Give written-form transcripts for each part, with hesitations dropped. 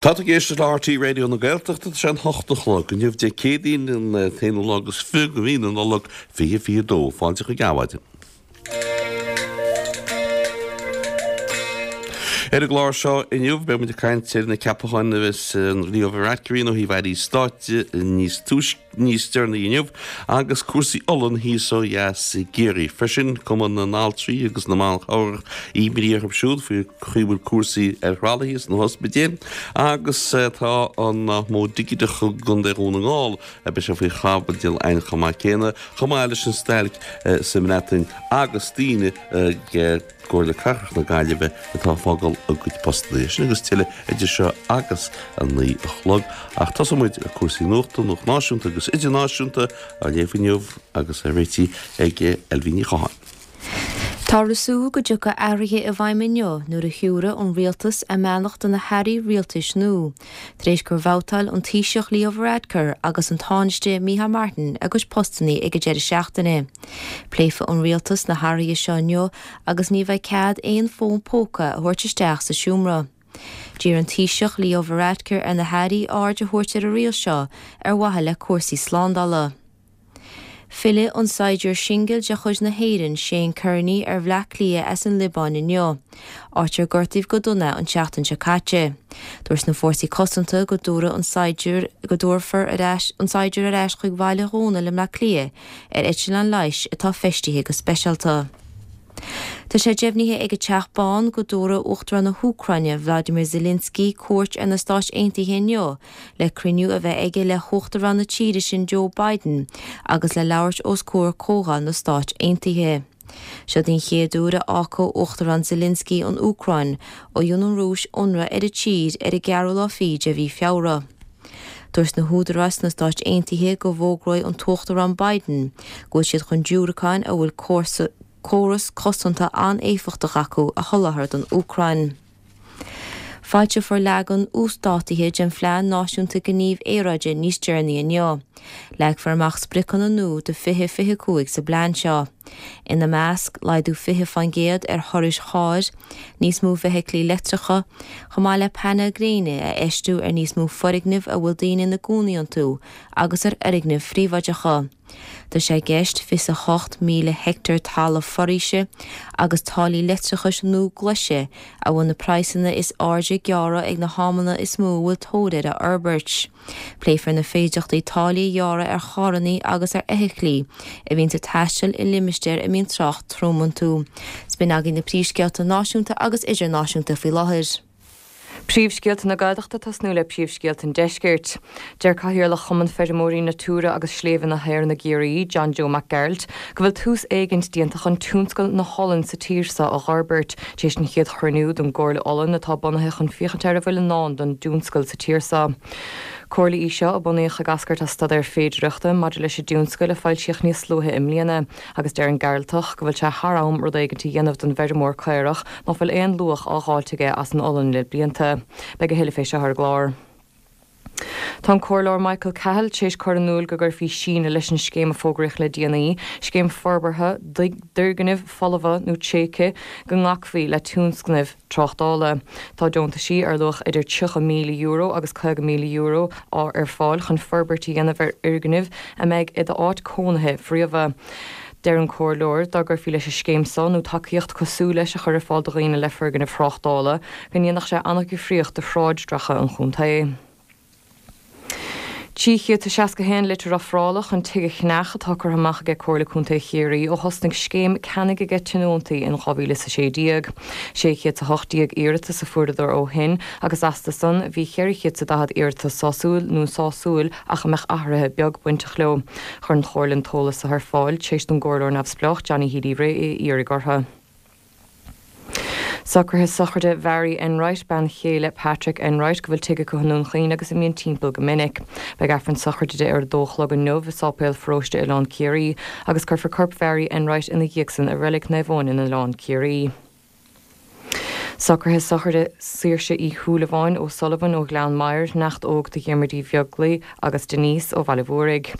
Tá tú ag éisteacht le RTÉ Raidió na Gaeltachta, tá sé an hocht a chlog inniu, Dé Céadaoin an t-aonú lá agus 20 de mhí na Nollag 2022. Fáilte chuig Adhmhaidin. Ar an gclár seo inniu beidh muid ag caint ar na ceapacháin a bheas Leo Varadkar a dhéanamh ó thaobh airí stáit níos túisce. níos deireanaí inniu agus cúrsaí olann thíos ó dheas i gCiarraí. Freisin, Cumann na nAltraí agus na mBan Chabhrach, imní orthu siúd faoi chaoi a bhfuil cúrsaí ar thralaithe sna hospidéil agus tá an modh digiteach i gContae Dhún na nGall, beidh sé faoi chaibidil againn chomh maith céanna, chomh maith leis an stailc sa mBreatain agus daoine ag gComhairle Cathrach na Gaillimhe atá ag fágáil a gcuid postanna. Sin agus tuilleadh idir seo agus a 9 a chlog. Ach tosóidh muid le cúrsaí nuachta, nuacht náisiúnta agus idirnáisiúnta, á léamh inniu agus á réitigh ag Ailbhe Ní Chatháin. Táthar ag súil go dtiocfaidh athruithe i bhfeidhm inniu nuair a thiúrfaidh an rialtas a mbeannacht do na hairí rialtais nua, tar éis gur bhabhtáil an Taoiseach Leo Varadkar agus an Tánaiste Micheál Martin a gcuid postanna ag an deireadh seachtaine. Pléifidh an rialtas na hathruithe seo inniu agus ní bheidh cead aon fón póca a thabhairt isteach sa seomra. D'iarr an Taoiseach Leo Varadkar ar na hairí aird a thabhairt ar an riail seo ar mhaithe le cúrsaí slándála. Fillfidh an saighdiúir singil de chuid na hÉireann, Shane Kearney, ar Bhleá Cliath as an Liobáin inniu, áit ar gortaíodh go dona é an tseachtain seo caite. Dúirt na Fórsaí Cosanta go dtabharfaidh an saighdiúir go dtabharfar ar ais an saighdiúir ar ais chuig Baile Dhónaill i mBleá Cliath ar eitleán leighis atá feistithe go speisialta. Tá sé deimhnithe ag an Teach Bán go dtabharfaidh Uachtarán na hÚcráine, Vladimir Zelensky, cuairt ar na Stáit Aontaithe inniu le cruinniú a bheith aige le hUachtarán na tíre sin Joe Biden agus le labhairt os comhair Comhdháil na Stáit Aontaithe. Seo den chéad uair a fhágfaidh Uachtarán Zelensky an Úcráin ó dhein an Rúis ionradh ar an tír ar an gceathrú lá fichead de mhí Feabhra. Dúirt na húdaráis sna Stáit Aontaithe go bhfógróidh an tUachtarán Biden go bhfuil siad chun diúracáin a bhfuil córas cosanta an-éifeachtach acu a sholáthar don Úcráin. Foilseofar leagan uasdátaithe den Phlean Náisiúnta Gnímh Aeráide níos deireanaí inniu. Leagfar amach spriocanna nua do 2025 sa bplean seo. Ina measc, laghdú 20% ar thurais chairr, níos mó feithiclí leictreacha, chomh maith le painéil gréine a fheistiú ar níos mó foirgneamh a bhfuil daoine ina gcónaí iontu agus ar fhoirgnimh phríobháideacha. Tá sé i gceist 28,000 heicteár talamh foraoise agus táillí leictreachais nua glaise a bhfuil na praghsanna is airde a ghearradh ag na hamanna is mó a bhfuil tóir air a fhorbairt. Pléifear na féidearthachtaí táillí a ghearradh ar charranna agus ar fheithiclí a bhíonns ag taisteal i limistéir a mbíonn trácht trom iontu. 'S b'in agaibh na príomhscéalta náisiúnta agus idirnáisiúnta faoi láthair. Príomhscéalta na Gaeltachta ag tosnú le príomhscéalta an Deiscirt. Deir Cathaoirleach Chumann Feirmeoirí Natura agus Sléibhe na hÉireann i gCiarraí, John Joe Mac Gearailt, go bhfuil tús éigint déanta chun tionscal na holann sa tír seo a dh'fhorbairt, tar éis an chéad chruinniú don gComhairle Olann atá bunaithe chun féachaint ar a bhfuil i ndán don dtionscal sa tír seo. Comhairle í seo a bunaíodh ag eascairt as staidéar féidireachta maidir leis an dtionscal a foilsíodh níos luaithe i mbliana, Agus deir an Gearaltach go bhfuil sé thar am rud éigint a dhéanamh don bhfeirmeoir caorach ná fuil aon luach á dháilt aige as an olann le blianta. Beidh a thuilleadh fé seo ar an gclár. Tá an Comhairleoir Michael Cahill tar éis cur in iúl go gcuirfí síneadh leis an scéim a fógraíodh le déanaí, scéim forbartha d'fhoirgnimh folmha nó tréigthe, go nglacfaí le tionscnaimh tráchtála. Tá deontaisí ar luach idir €30,000 agus €50,000 á ar fáil chun forbairt a dhéanamh ar fhoirgnimh a mbeidh i d'áit cónaithe phríomha. Deir an Comhairleoir, dá gcuirfí leis an scéim so, nó tacaíocht cosúil leis a chur ar fáil do dhaoine le foirgnimh thráchtála, go ndéanfadh sé an-dhifríocht do shráid-dreacha an chontae. 361 litir ofrála chun tigh a cheannach atá curtha amach aige Comhairle Contae Chiarraí ó thosnaigh scéim ceannaigh aige tionóntaí in 2016. 618 iarratas a fuaireadar ó shin agus astu san bhí 440 iarratas sásúil nó sásúil ach a mbeadh athruithe beag bainteach leo. Chuir an Chomhairle an t-eolas seo ar fáil tar éis don gComhairleoir Neamhspleách Johnny Healy-Rae é a iarraidh orthu. Socruithe sochraide Mhary Enright, bean chéile Patrick Enright, go bhfuil tigh acu i nDún Chaoin agus a mbíonn timpeall go minic. Beidh Aifreann sochraide di ar a dó a chlog inniu i Sáipéal Pharóiste Oileán Ciarraí agus cuirfear corp Mhary Enright ina dhiaidh san i Reilig Naomh Eoin in Oileán Ciarraí. Socruithe sochraide Saoirse Uí Shúilleabháin, O'Sullivan, ó Ghleann Maghair, neacht óg do Dhiarmuid Uí Bheaglaoi agus Denise ó Bhaile Mhúraigh.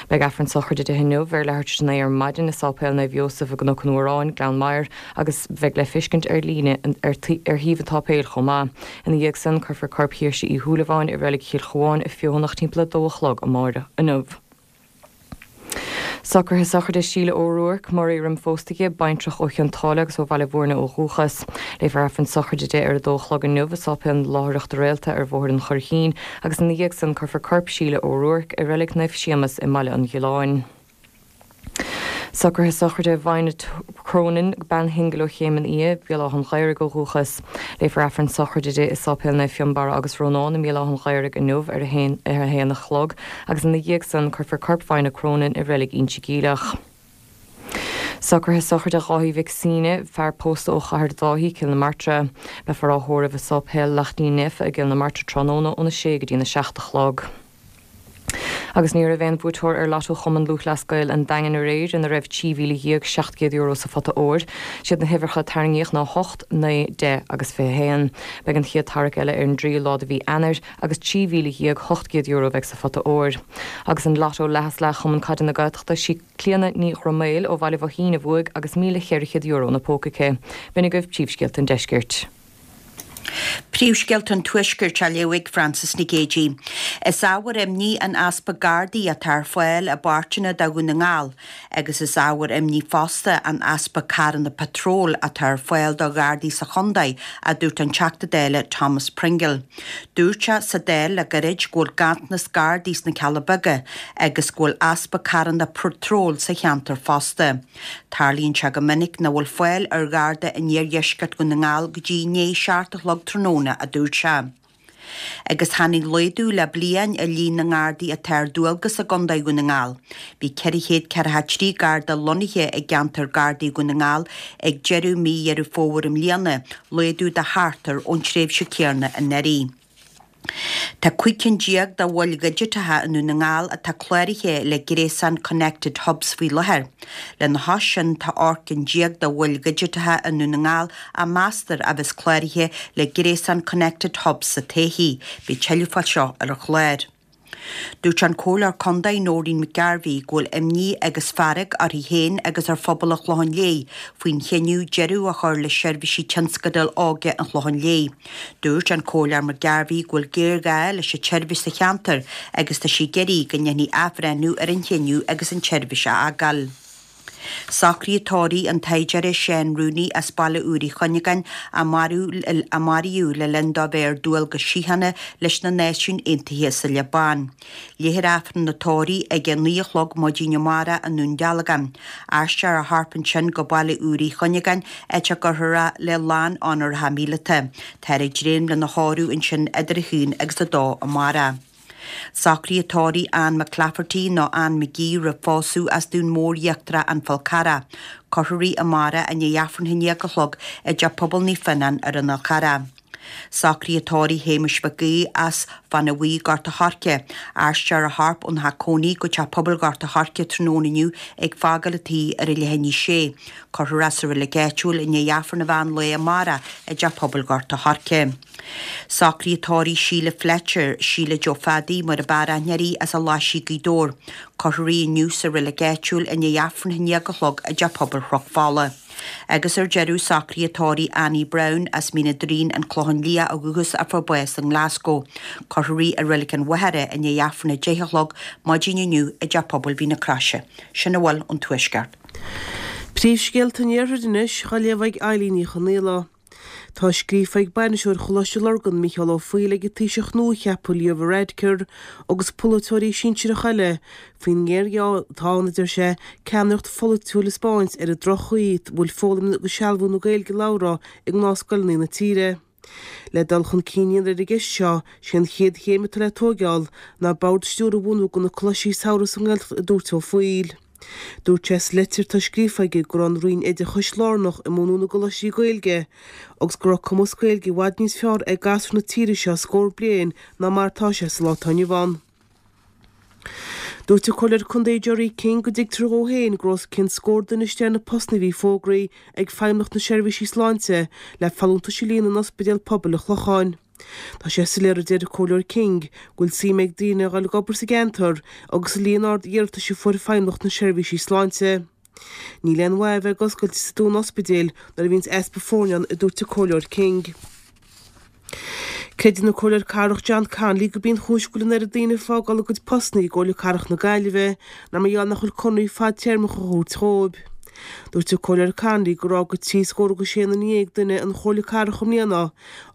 Beidh Aifreann sochraide di inniu ar leathuair tar éis a 9 ar maidin i Sáipéal Naomh Iósaf i gCnoc an Fhuaráin, Gleann Maghair agus beidh le feiscint ar líne ar shuíomh an tsáipéil chomh maith. Ina dhiaidh san, cuirfear corp Shaoirse Uí Shúilleabháin i reilig Chill Chuáin i Feothanach timpeall 2 a chlog amáireach inniu. Socruithe sochraide Síle O'Rourke, Murray roim phósta di, baintreach ó Chionn tSáile agus ó Bhaile Bhúirne ó dhúchas. Léifear Aifreann sochraide di ar a dó a chlog inniu i Sáipéal na Láithreachta Réalta ar Bhóthar an Churraichín agus ina dhiaidh san cuirfear corp Síle O'Rourke i Reilig Naomh Séamas i mBaile an Ghiolláin. Socruithe sochraide Violet Cronin, bean shingil ó Chéim an Fhia, Béal Átha an Ghaorthaidh ó dhúchas. Léifear Aifreann sochraide di i Sáipéal Naomh Fionnbarra agus Rónán i mBéal Átha an Ghaorthaidh inniu ar a haon ar a haon a chlog agus ina dhiaidh san cuirfear corp Violet Cronin i reilig Inse Geimhleach. Socruithe sochraide Dháithí Mhic Suibhne, fear pósta ó Chathair Dháithí, Cill na Martra. Beifear á thórramh i Sáipéal Laichtín Naofa i gCill na Martra tráthnóna óna sé go dtína seacht a chlog. Agus ní raibh aon bhuaiteoir ar Lotto Chumann Lúthchleas Gael an Daingin aréir ina raibh €13,700 sa phota óir. Siad na huimhreacha a tarraingíodh ná 8, 9, 10 agus 21. Beidh an chéad tarrac eile ar an dtríú lá de mhí Eanáir agus €13,800 a bheidh sa phota óir. Agus an Lotto leath is leath Chumann Caide na Gaeltachta, sí Clíona Ní Ghromail ó Bhaile Bhoithín a bhuaigh agus €1,400 ina póca aici. B'in agaibh príomhscéalta an deiscirt. Príomhscéalta an Tuaiscirt á léamh ag Frances Nic Géadaigh. Is ábhar imní an easpa Gardaí atá ar fáil i bpáirteanna de Dhún na nGall agus is ábhar imní fosta an easpa carranna patróil atá ar fáil do Ghardaí sa chontae, a dúirt an Teachta Dála Thomas Pringle. Dúirt sé sa Dáil le gairid go bhfuil ganntanas Gardaí sna Cealla Beaga agus go bhfuil easpa carranna patróil sa cheantar fosta. Tarlaíonn sé go minic nach bhfuil fáil ar Gharda in iardheisceart Dhún na nGall go dtí i ndiaidh a seacht a chlog tráthnóna, a dúirt sé. Agus tháinig laghdú le bliain ar líon na nGardaí atá ar dualgas i gContae Dhún na nGall. Bhí 443 Garda lonnaithe i gceantar Gardaí Dhún na nGall ag deireadh mí Dheireadh Fómhair i mbliana, laghdú de thart ar ón tréimhse céanna anuraidh. Tá 15 cinn de mhoil dhigiteacha i nDún na nGall atá cláraithe le gréasán Connected Hubs faoi láthair. Lena chois sin, tá 18 cinn de mhoil dhigiteacha i nDún na nGall a meastar a bheas cláraithe le gréasán Connected Hubs sa todhchaí. Beidh tuilleadh fá seo ar an chlár. Dúirt an Comhairleoir Contae Noreen McGarvey go bhfuil imní agus fearg uirthi féin agus ar phobal an Chlocháin Léith faoin chinneadh deireadh a chur le seirbhísí tionscadail óige an Chlocháin Léith. Dúirt an Comhairleoir McGarvey go bhfuil géarghá leis an tseirbhís sa cheantar agus tá sí ag iarraidh go ndéanfaí athbhreithniú ar an chinneadh agus an tseirbhís a fhágáil. Socruithe tórraimh an tsaighdiúra Seán Rooney as Baile Úr Uí Chuinneagáin a maraíodh le linn dó bheith ar dualgas síochána leis na Náisiúin Aontaithe sa Liobáin. Léifear Aifreann an tórraimh ag a 9 a chlog maidin amárach i nDún Dealgan. Aistreofar a chorp ansin go Baile Úr Uí Chuinneagáin áit a gcuirfear é le lán-onóracha míleata. Táthar ag dréim lena thórramh ansin idir a haon agus a dó amárach. Socruithe tórraimh Ann McClafferty nó Ann McGee roimh phósadh as Dún Mór Íochtarach An Fál Carrach. Cuirfear í amárach i ndiaidh Aifreann a haon déag a chlog i dTeach Pobail Naomh Fionnán ar an Fhál Charrach. Socruithe tórraimh Shéamuis Mhic Aoidh as Fána Bhuí Gort a' Choirce. Aistreofar a chorp óna theach cónaí go Teach Pobail Ghort a' Choirce tráthnóna inniu ag fágáil an tí ar a leath i ndiaidh a sé. Cuirfear é sa reilig áitiúil i ndiaidh Aifreann an mheán lae amárach i dTeach Pobail Ghort a' Choirce. Socruithe tórraimh Síle Fletcher, Síle Joe Phaddy mar ab fhearr aithne uirthi as an Laisigh Gaoth Dobhair. Cuirfear í inniu sa reilig áitiúil i ndiaidh Aifreann a haon déag a chlog i dTeach Pobail Chnoc Fola. Agus ar deireadh, socruithe tórraimh Annie Browne as Mín an Doirín, An Clochán Liath ó dhúchas a fuair bás i nGlasgow. Cuirfear í i Reilig an Mhachaire i ndiaidh Aifreann a deich a chlog maidin inniu i dTeach Pobail Mhín na Croise. Sin a bhfuil ón Tuaisceart. Príomhscéalta an Iarthair anois, á léamh ag Eilín Ní Chonaola. Tá scríofa ag bainisteoir Choláiste Lurgan, Mícheál Ó Foighil ag an Taoiseach nua-cheaptha Leo Varadkar agus polaiteoirí sinsearacha eile faoin ngéarghá atá ann, a deir sé, ceannaireacht pholaitiúil a 'spáint ar an droch-chaoi a bhfuil foghlaim agus sealbhú na Gaeilge labhartha i ngnáthscoileanna na tíre. Le dul chun cinn a dhéanamh ar an gceist seo, sé an chéad chéim atá le tóigeáil ná bord stiúrtha a bhunú do na coláistí samhraidh sa nGaeltacht, a dúirt Ó Foighil. Dúirt sé sa litir atá scríofa aige go raibh an Roinn Oideachais lárnach i mbunú na gcoláistí Gaeilge agus go raibh cumas Gaeilge i bhfad níos fearr ag gasúir na tíre seo scór bliain ná mar atá sé sa lá atá inniu ann. Dúirt an Comhairleoir Contae Gerry King go dtuigtear dhó féin go raibh os cionn scór duine istigh ar na postanna a bhí fógraithe ag Feidhmeannacht na Seirbhísí Sláinte le folúntais a líonadh in Ospidéal Pobail an Chlocháin. Tá sé soiléir a deir an Comhairleoir King go bhfuil suim ag daoine a dhul ag obair sa gceantar agus an líon ard iarratais a fuair Feidhmeannacht na Seirbhísí Sláinte. Níl aon mhaith a bheith ag oscailt sa dúnadh ospidéil nuair a bhíonns easpa foirne ann a dúirt an Comhairleoir King. Creideann an Comhairleoir Cathrach John Connolly gurb í an chúis go bhfuil an oiread daoine ag fágáil a gcuid postanna i gComhairle Cathrach na Gaillimhe ná mar gheall nach bhfuil conarthaí fadtéarmacha á thabhairt dhóibh. Dúirt an Comhairleoir Connolly gur fhág trí scór agus sé nduine duine an Chomhairle Cathrach i mbliana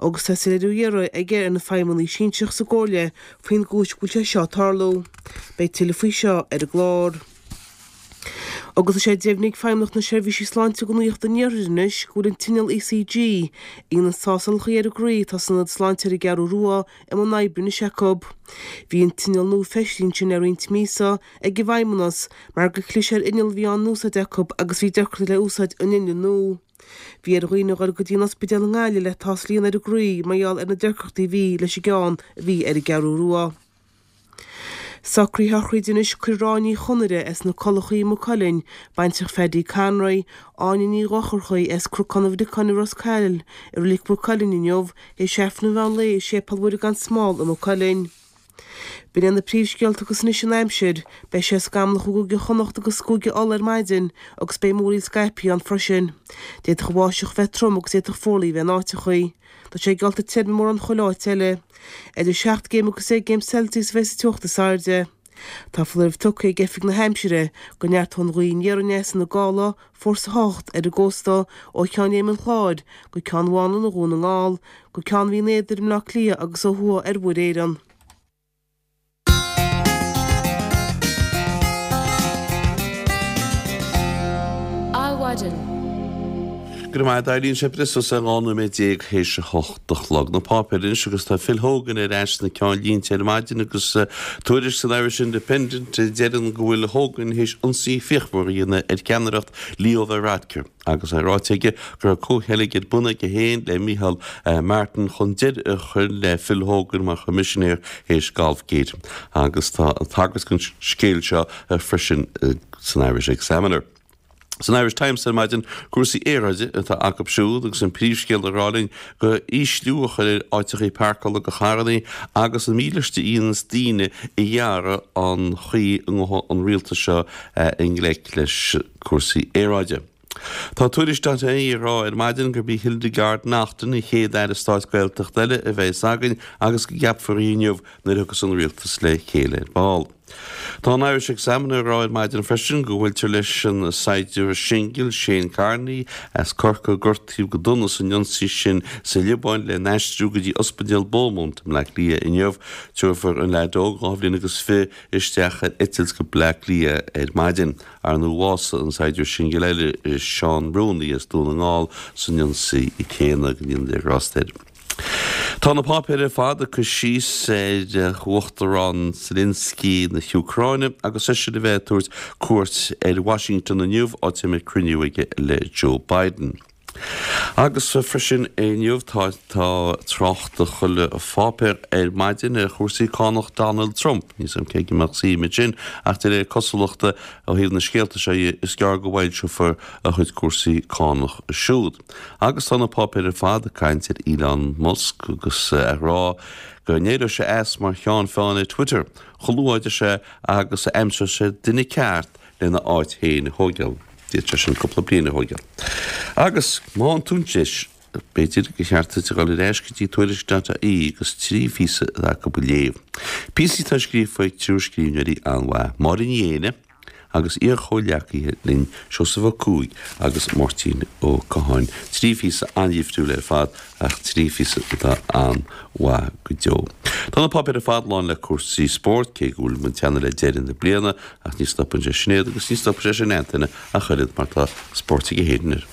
agus tá soiléiriú á iarraidh aige ar na feidhmeannaigh sinsearach sa gComhairle faoin gcúis go bhfuil sé seo ag tarlú. Beidh tuilleadh faoi seo ar an gclár. Agus tá sé deimhnithe ag Feidhmeannacht na Seirbhísí Sláinte do Nuacht an Iarthair anois go bhfuil an t-inneall ECG, a dhéanann tástálacha ar an gcroí atá san Ionad Sláinte ar an gCeathrú Rua, i mbun oibre anois acu. Bhí an t-inneall nua feistithe ansin le roinnt míosa ag an bhFeidhmeannas mar gur chlis ar inneall a bhí á n-úsáid acu agus bhí deacrachtaí le úsáid an innill nua. Bhí ar dhaoine a dhul go dtí an ospidéal i nGaillimh le tástáil a dhéanamh ar an gcroí mar gheall ar na deacrachtaí a bhí leis an gceann a bhí ar an gCeathrú Rua. Socruithe sochraide anois Cuirfear Áine Ní Chonaire as na Culachaí i Maigh Cuilinn, baintreach Phaddy Conroy, Áine Ní Dhochartaigh as Cnocán an Bhriocáin i Ros Coill, i Reilig Mhaigh Cuilinn inniu, théis Aifreann an mheán lae i Séipéal Mhuire gan Smál i Maigh Cuilinn. B'in iad na príomhscéalta agus anois an aimsir. Beidh sé scamallach i gCúige Chonnacht agus i gCúige Uladh ar maidin agus beidh múraíl scaipthe ann freisin. D'fhéadfadh an bháisteach bheith trom agus d'fhéadfadh fuarlaigh a bheith in áiteachaí. Tá sé geallta tirim i mórán chuile áit eile. Idir 7 gcéim agus 10 gcéim Celsius a bheidh sa teocht is airde. Tá foláireamh tugtha ag Oifig na hAimsire go neartóidh an ghaoth aniar aneas ina gála, fórsa 8, ar an gcósta ó Cheann Fheidhm an Chláir go Ceann Mhanann i Dhún na nGall, go Ceann Bhinn Éadair i mBleá Cliath agus ó thuaidh ar Mhuir Éireann. Adhmhaidin. Go raibh maith agat, Eileen. Sé breis is 12 nóiméad théis a hocht a chlog. Na páipéir anois agus tá Phil Hogan ar ais sna ceannlínte ar maidin agus tuairisc san Irish Independent a deireann go bhfuil Hogan théis ionsaí fíochmhar a dhéanamh ar cheannaireacht Leo Varadkar. Agus é ráite aige go raibh comhcheilg ar bun aige féin le Micheál Martin chun deireadh a chur le Phil Hogan mar choimisinéir théis Golfgate. Agus tá tagairt don scéal seo freisin san Irish Examiner. San Irish Times ar maidin, cúrsaí aeráide atá acu siúd agus an príomhscéal ag rá linn go ísliú a chur ar áiteachaí páirceála do charrannaí agus an mílíste a dhéanas daoine a ghearradh an chaoi a ngabhann an rialtas seo i ngleic leis cúrsaí aeráide. Tá Tuairisc dot ie ag rá ar maidin gurb í Hildegarde Naughton an chéad Aire Stáit Gaeltachta eile a bheas againn agus go gceapfar í inniu nuair a thiocfas an Rialtas le chéile ar ball. Tá an Irish Examiner ag rá ar maidin freisin go bhfuiltear leis an saighdiúir singil Shane Kearney as Corcaigh a gortaíodh go dona san ionsaí sin sa Liobáin lena aistriú go dtí Ospidéal Beaumont i mBleá Cliath inniu. Tabharfar an leaid óg, 22 bhliain, isteach ar eitilt go Bleá Cliath ar maidin. Ar ndóigh bhásaigh an saighdiúir singil eile, Seán Rooney as Dún na nGall, san ionsaí céanna, go ndéana Dia grásta air. Tá na páipéir ar fad ag cur síos ar Uachtarán Zelensky na hÚcráine agus eisean a bheith ag tabhairt cuairt ar Washington inniu, áit a mbeidh cruinniú aige le Joe Biden. Agus freisin inniu tá tá trácht i chuile pháipéar ar maidin ar chúrsaí cánach Donald Trump. Níl 's a'm cé go mbeadh suim ansin ach de réir cosúlachta ó thaobh na scéalta seo dhe is gearr go bhfoilseofar a chuid cúrsaí cánach siúd. Agus tá na páipéir ar fad ag caint ar Elon Musk agus ag rá go n-éireoidh sé as mar cheann feadhna Twitter chomh luath a deir sé agus a aimseoidh sé duine ceart lena áit féin a thóigeáil. D'fhéadfadh sé sin cúpla bliain a thóigeáil. Agus má tá tú anois, b'fhéidir gur cheart duit a dhul ar ais go dtí Tuairisc dot ie agus 3 phíosa atá acu a léamh. Píosaí atá scríofa ag triúr scríbhneoirí an-mhaith, Máire Ní Éinne agus iar-chomhghleacaithe linn, Seosamh Ó Cuaig agus Máirtín Ó Catháin. 3 phíosa an-dhifriúil ar fad ach 3 phíosa atá an-mhaith go deo. Tá na páipéir ar fad lán le cúrsaí spóirt, cé go bhfuil muid ag teannadh le deireadh na bliana, Ach ní stopann sé Sinéad agus ní stopfaidh sé sin Antaine ach oiread mar tá spórt aige féin air.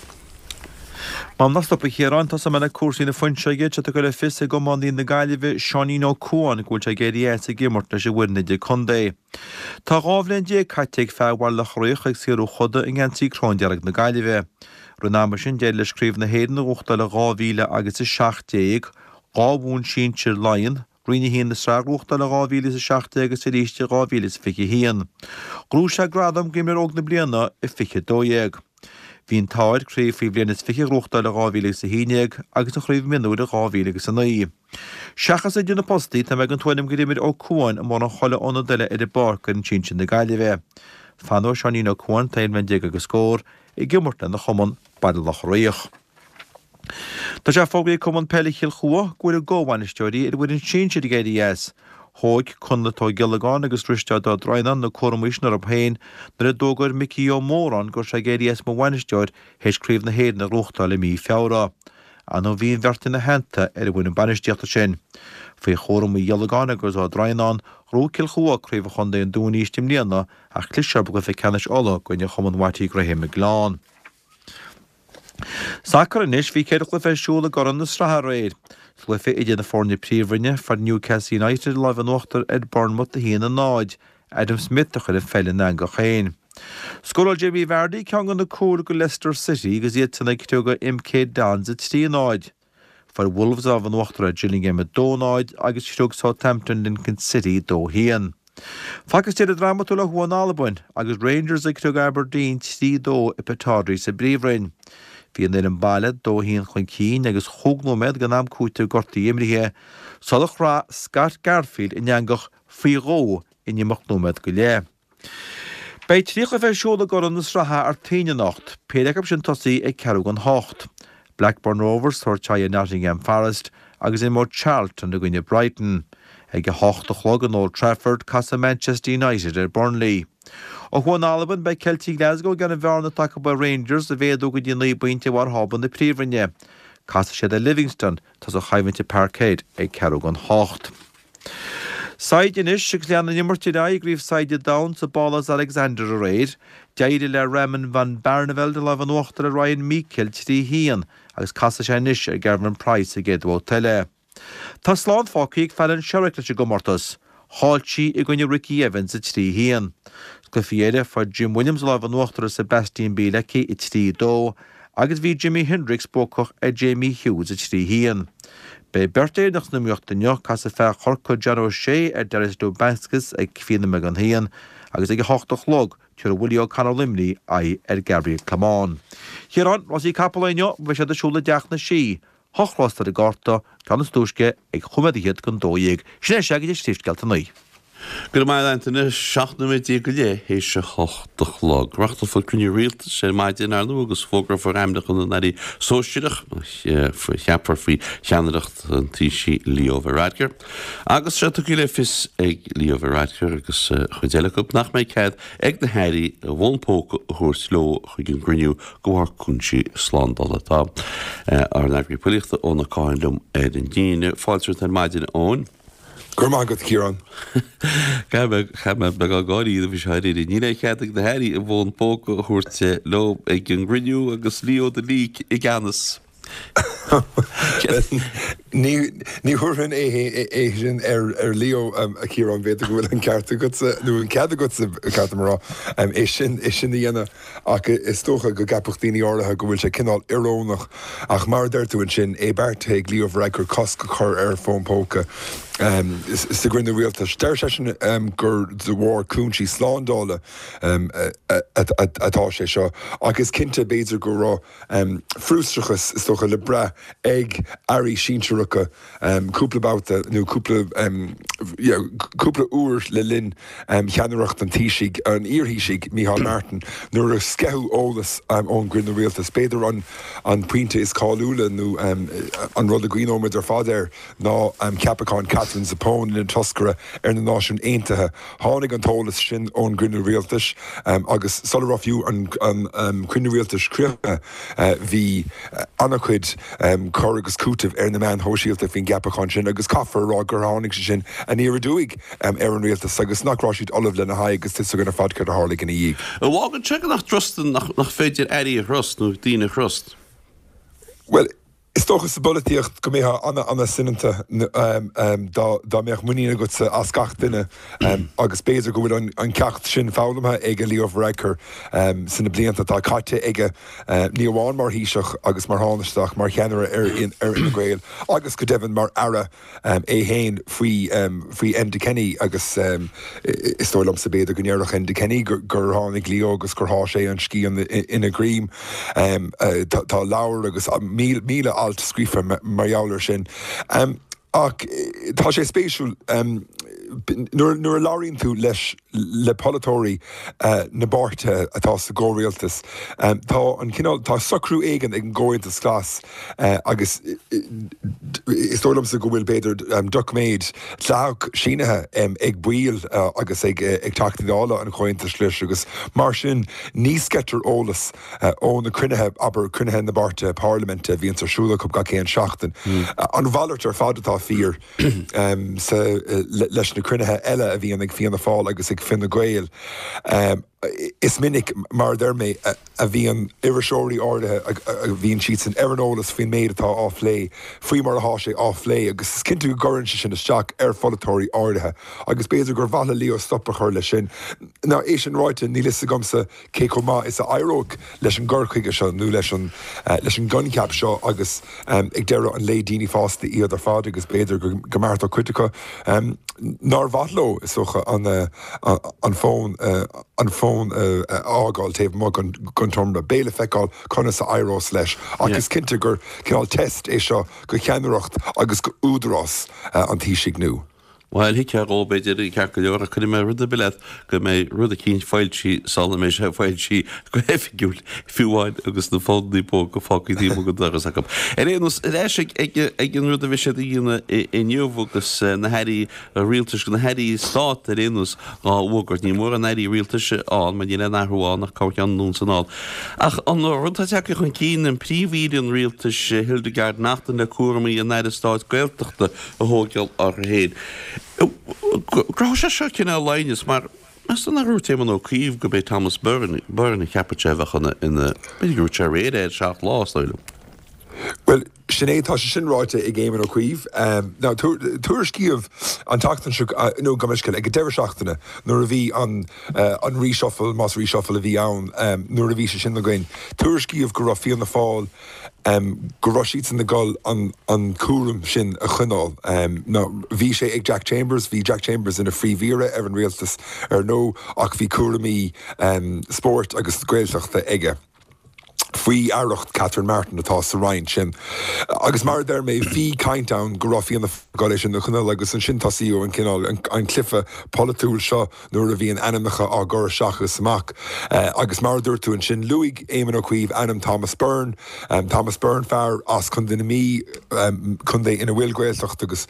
M'anam nach stopfaidh a Chiaráin, tosóidh mé le cúrsaí na fuinseoige, tá sé tugtha le fios ag iománaí na Gaillimhe, Seáinín Ó Cuain, go bhfuil sé ag éirí as ag imirt leis an bhfoireann idir-contae. Tá 12 bhliain caite ag fear Bhaile Locha Riach ag saothrú choda i ngeansaí cróndearg na Gaillimhe. I rith an ama sin d'éirigh leis Craobh na hÉireann a bhuachtáil i 2017, dhá bhonn sinsir Laighean, Roinn 1 na sraithe a ghnóthachtáil in 2017 agus arís i 2021. Ghnóthaigh sé gradam d'imreoir óg na bliana i 2012. Bhí an t-ádh air craobh faoi bhliain is 20 a ghnóthachtáil i 2011 agus an chraobh mionúir i 2009. Seachas idir na postaí, tá mé den tuairim gur imir Ó Cuain mórán chuile ionad eile ar an bpáirc d'fhoireann sinsir na Gaillimhe. Fanóidh Seáinín Ó Cuain, atá 11 bhliain agus scór, ag imirt lena chumann, Baile Locha Riach. Tá sé fógraithe ag Cumann Peile Chill Chua go bhfuil a gcomhbhainisteoirí ar an bhfoireann sinsir ag éirí as. Thóg Conleth Ó Giollagáin agus Risteárd Ó Droighneáin na cúramaí sin orthu féin nuair a d'fhógair Micí Ó Móráin go raibh sé ag éirí as mar bhainisteoir théis Craobh na hÉireann a ghnóthachtáil i mí Feabhra. Ar ndóigh bhí an bheirt ina theannta ar an bhfoireann bainistíochta sin. Faoi chúram Uí Ghiollagáin agus Ó Droighneáin, ghnóthaigh Cill Chua Craobh an Chontae an Dúin arís i mbliana ach cliseadh orthu i gcluiche ceannais Uladh i gcoinne Chumann Watty Graham ag Gleann. Sacar anois, bhí 4 chluiche ar siúl i gCorn na Sraithe aréir. Sa gcluiche idir na foirne Príomhroinne, fuair Newcastle United an lámh in uachtar ar Bournemouth 1-0. Adam Smith a chuir an pheil ina eangach féin. Scóráil Jamie Vardy ceann de na cúil do Leicester City agus iadsan ag criogadh MK Dons 3-0. Fuair Wolves an lámh in uachtar ar Gillingham 2-0 agus chriog Southampton Lincoln City 2-1. Facthas deireadh drámatúil ó thuaidh in Albain agus Rangers ag criogadh Aberdeen 3-2 i Pittodrie sa bPríomhroinn. Bhí an fhoireann baile 2-1 chun cinn agus chúig nóiméad den am cúitimh gortaithe imrithe sular chraith Scott Garfield an eangach faoi dhó in imeacht nóiméad go leith. Beidh 3 chluiche ar siúl i gCorn na Sraithe Artaoin anocht, péire acu sin tosaithe ag ceathrú don hocht. Blackburn Rovers tabhairt aghaidh ar Nottingham Forest agus imreoidh Charlton i gcoinne Brighton. Ag 8 a chlog in Old Trafford casfaidh Manchester United ar Burnley. Ó thuaidh in Albain beidh Celtic Glasgow ag iarraidh an bhearna atá acu ar Rangers a mhéadú go dtí 9 bpointe ar bharr thábla na Príomhroinne. Casfaidh siad ar Livingston atá sa choimhlint i Parkhead ag ceathrú don hocht. Saighde anois agus lean an imirt ar aghaidh i gCraobh Saighde an Domhain sa bPálás Alexander aréir. D'éirigh le Raymond van Barneveld an lámh in uachtar ar Ryan Meikle 3 1 agus casfaidh sé anois ar Gerwyn Price sa gcéad bhabhta eile. Tá slán fágtha ag Fallon Sherrock leis an gcomórtas. Chaill sí i gcoinne Ricky Evans 3 1. Sna cluichí eile fuair Jim Williams an lámh in uachtar ar Sebastian Bielecki 3 2 agus bhí Jimi Hendrix buacach ar Jamie Hughes 3 1. Beidh beirt Éireannach san iomaíocht inniu, casfaidh fear Chorcaí John O'Shea ar Darius Lubanskis ag fiche nóiméad don haon agus ag 8 a chlog tabharfaidh Willie O'Connor Luimnigh aghaidh ar Gabriel Clemon. A Chiaráin, rásaí capall inniu, beidh siad ar siúl i dTeach na Sí. Hocht rás ar an gcárta, ceann is túisce ag chúig nóiméad fhichead don 12. Sin é sea go dtí Príomhscéalta a naoi. Go raibh maith agat Antaine, 17 nóiméad go leith théis a hocht a chlog. Reáchtálfar cruinniú rialtais ar maidin, ar ndóigh, agus fógrófar ainmneacha na n-airí sóisearach a cheapfar faoi cheannaireacht an Taoisigh Leo Varadkar. Agus sé tugtha le fios ag Leo Varadkar agus cuid eile acu nach mbeidh cead ag na hairí a bhfón póca a thabhairt leo chuig an gcruinniú de bharr cúinsí slándála. Tá ár n-eagraí poiblíochta Eoin Ó Catháin liom ar an líne. Fáilte romhat ar maidin, a Eoin. Go raibh maith agat, a Chiaráin. Chaith mé beagán gáirí roimhe seo aréir. Níl aon chead ag na hairí a bhfón póca a thabhairt leo ag an gcruinniú agus Leo the Leak i gceannas. Ní thabharfainn é sin ar Leo, a Chiaráin, b'fhéidir go bhfuil an ceart agatsa, nó an cead agatsa, ba cheart dom a rá, é sin a dhéanamh. Ach is dócha go gceapfadh daoine áirithe go bhfuil sé cineál iorónach. Ach mar a deir tú ansin, é beartaithe ag Leo Varadkar cosc a chur ar fón póca sa gcruinniú rialtais. Deir seisean gur de bharr cúinsí slándála atá sé seo. Ach is cinnte, b'fhéidir go raibh frustrachas, is dócha, le brath ag airí sinsearacha cúpla babhta nó cúpla cúpla uair le linn cheannaireacht an Taoisigh, an iar-Thaoisigh, Micheál Martin, nuair a sceitheadh eolas ón gcruinniú rialtais. B'fhéidir an an pointe is cáiliúla nó an rud a gcuimhneoimid ar fad air ná ceapachán Katherine Zappone ina toscaire ar na Náisiúin Aontaithe. Tháinig an t-eolas sin ón gcruinniú rialtais agus sula raibh fiú an cruinniú rialtais críochnaithe bhí an-chuid cur agus cúitimh ar na meáin shóisialta faoin gceapachán sin agus caithfear a rá gur tháinig sé sin aniar aduaidh ar an rialtas agus nach raibh siad ullamh lena haghaidh agus tá 'fhios againn ar fad céard a tharlaigh ina dhiaidh. An bhfágann sé go nach dtrustann, nach féidir airí a thrust nó daoine a thrust? Bhuel. Is dócha sa bpolaitíocht go mbeifeá an-an-soineanta dá mbeadh muinín agatsa as gach duine agus b'fhéidir go bhfuil an ceacht sin foghlamtha ag Leo Varadkar sna blianta atá caite aige, ní amháin mar Thaoiseach agus mar Thánaiste ach mar cheannaire ar Fhine Gael agus go deimhin mar Aire. é féin faoi faoi Enda Kenny agus is dóigh liomsa b'fhéidir go ndéarfadh Enda Kenny gur tháinig Leo agus gur sháigh sé an scian ina dhroim. Tá leabhar agus 1,000 alt scríofa mar gheall air sin. Ach tá sé spéisiúil nuair a labhraíonn tú leis le polaiteoirí na bpáirtithe atá sa gcomhrialtas, tá an cineál, tá socrú éigin ag an gComhaontas Glas Agus is dóigh liomsa go bhfuil, b'fhéidir, doiciméad dleathach sínithe ag baill agus ag Teachtaí Dála an Chomhaontais Ghlais agus mar sin ní sceitear eolas ó na cruinnithe, abair, cruinnithe na bpáirtithe parlaiminte a bhíonns ar siúl acu gach aon seachtain. An mhalairt ar fad atá fíor leis na cruinnithe eile a bhíonn ag Fianna Fáil agus ag Fine Gael. Is minic, mar a deir mé, a bhíonn iriseoirí áirithe, a bhíonn siadsan ar an eolas faoin méid atá á phlé, faoi mar atá sé á phlé, agus is cinnte go gcuireann sé sin isteach ar pholaiteoirí áirithe, agus b'fhéidir gur mhaith le Leo stop a chur leis sin. Now, é sin ráite, níl fhios agamsa cé chomh maith is a éireoidh leis an gcur chuige seo nó leis an leis an gcoincheap seo agus ag deireadh an lae daoine fásta iad ar fad agus b'fhéidir go mbeartódh cuid acu nár mhaith leo, is dócha, an an fón an fón a fhágáil taobh amuigh den tseomra. Beidh le feiceáil conas a éireos leis ach is cinnte gur cineál test é seo go cheannaireacht agus go údarás an Taoisigh nua. Bhuel, thuigfeá dhó, b'fhéidir, ceart go leor, ach cuirfidh mé rud ar bith leat go mbeidh rud eicínt foilsithe sula mbeidh sé foilsithe go hoifigiúil, fiú amháin agus na fónannaí póca fágtha taobh amuigh den doras acu. Ar aon nós, ar ais ag an rud a bheidh siad a dhéanamh inniu agus na hairí rialtais, na hairí stáit ar aon nós dhá bhfógairt. Níl mórán airí rialtais ann mar níl aon athrú ann ach corrcheann anonn is anall. Ach an rud atá tagtha chun cinn, an Príomh-Aoire an Rialtais, Hildegarde Naughton le cúramaí an Aire Stáit Gaeltachta a thógáil uirthi féin. Go raibh sé seo cineál aighneas mar meas tú nár dhúirt Éamon Ó Cuív gurb é Thomas Byrne, Byrne a cheapfadh sé a bheadh ina, ina, b'fhéidir gur dhúirt sé aréir é ar Seacht Lá, is dóigh liom. Bhuel, sin é, tá sé sin ráite ag Éamon Ó Cuív. Now, tuairiscíodh an tseachtain seo, nó gabh mo leithscéal, ag an deireadh seachtaine nuair a bhí an, an reshuffle, más reshuffle a bhí ann, nuair a bhí sé sin againn, tuairiscíodh go raibh Fianna Fáil, go raibh siadsan ag dul an cúram sin a choinneáil. Now, bhí sé ag Jack Chambers, bhí Jack Chambers ina phríomh-aoire ar an rialtas, ar ndóigh, ach bhí cúraimí spóirt agus Gaeltachta aige faoi aireacht Catherine Martin atá sa roinn sin. Agus mar a deir mé, bhí caint ann go raibh Fianna Fáil ag dul é sin a choinneáil agus ansin tosaíodh an cineál, an cluiche polaitiúil seo nuair a bhíonn ainmneacha á gcur isteach is amach. Agus mar a dúirt tú ansin, luaigh Éamon Ó Cuív ainm Thomas Byrne, Thomas Byrne, fear as Contae na Mí, contae ina bhfuil Gaeltacht agus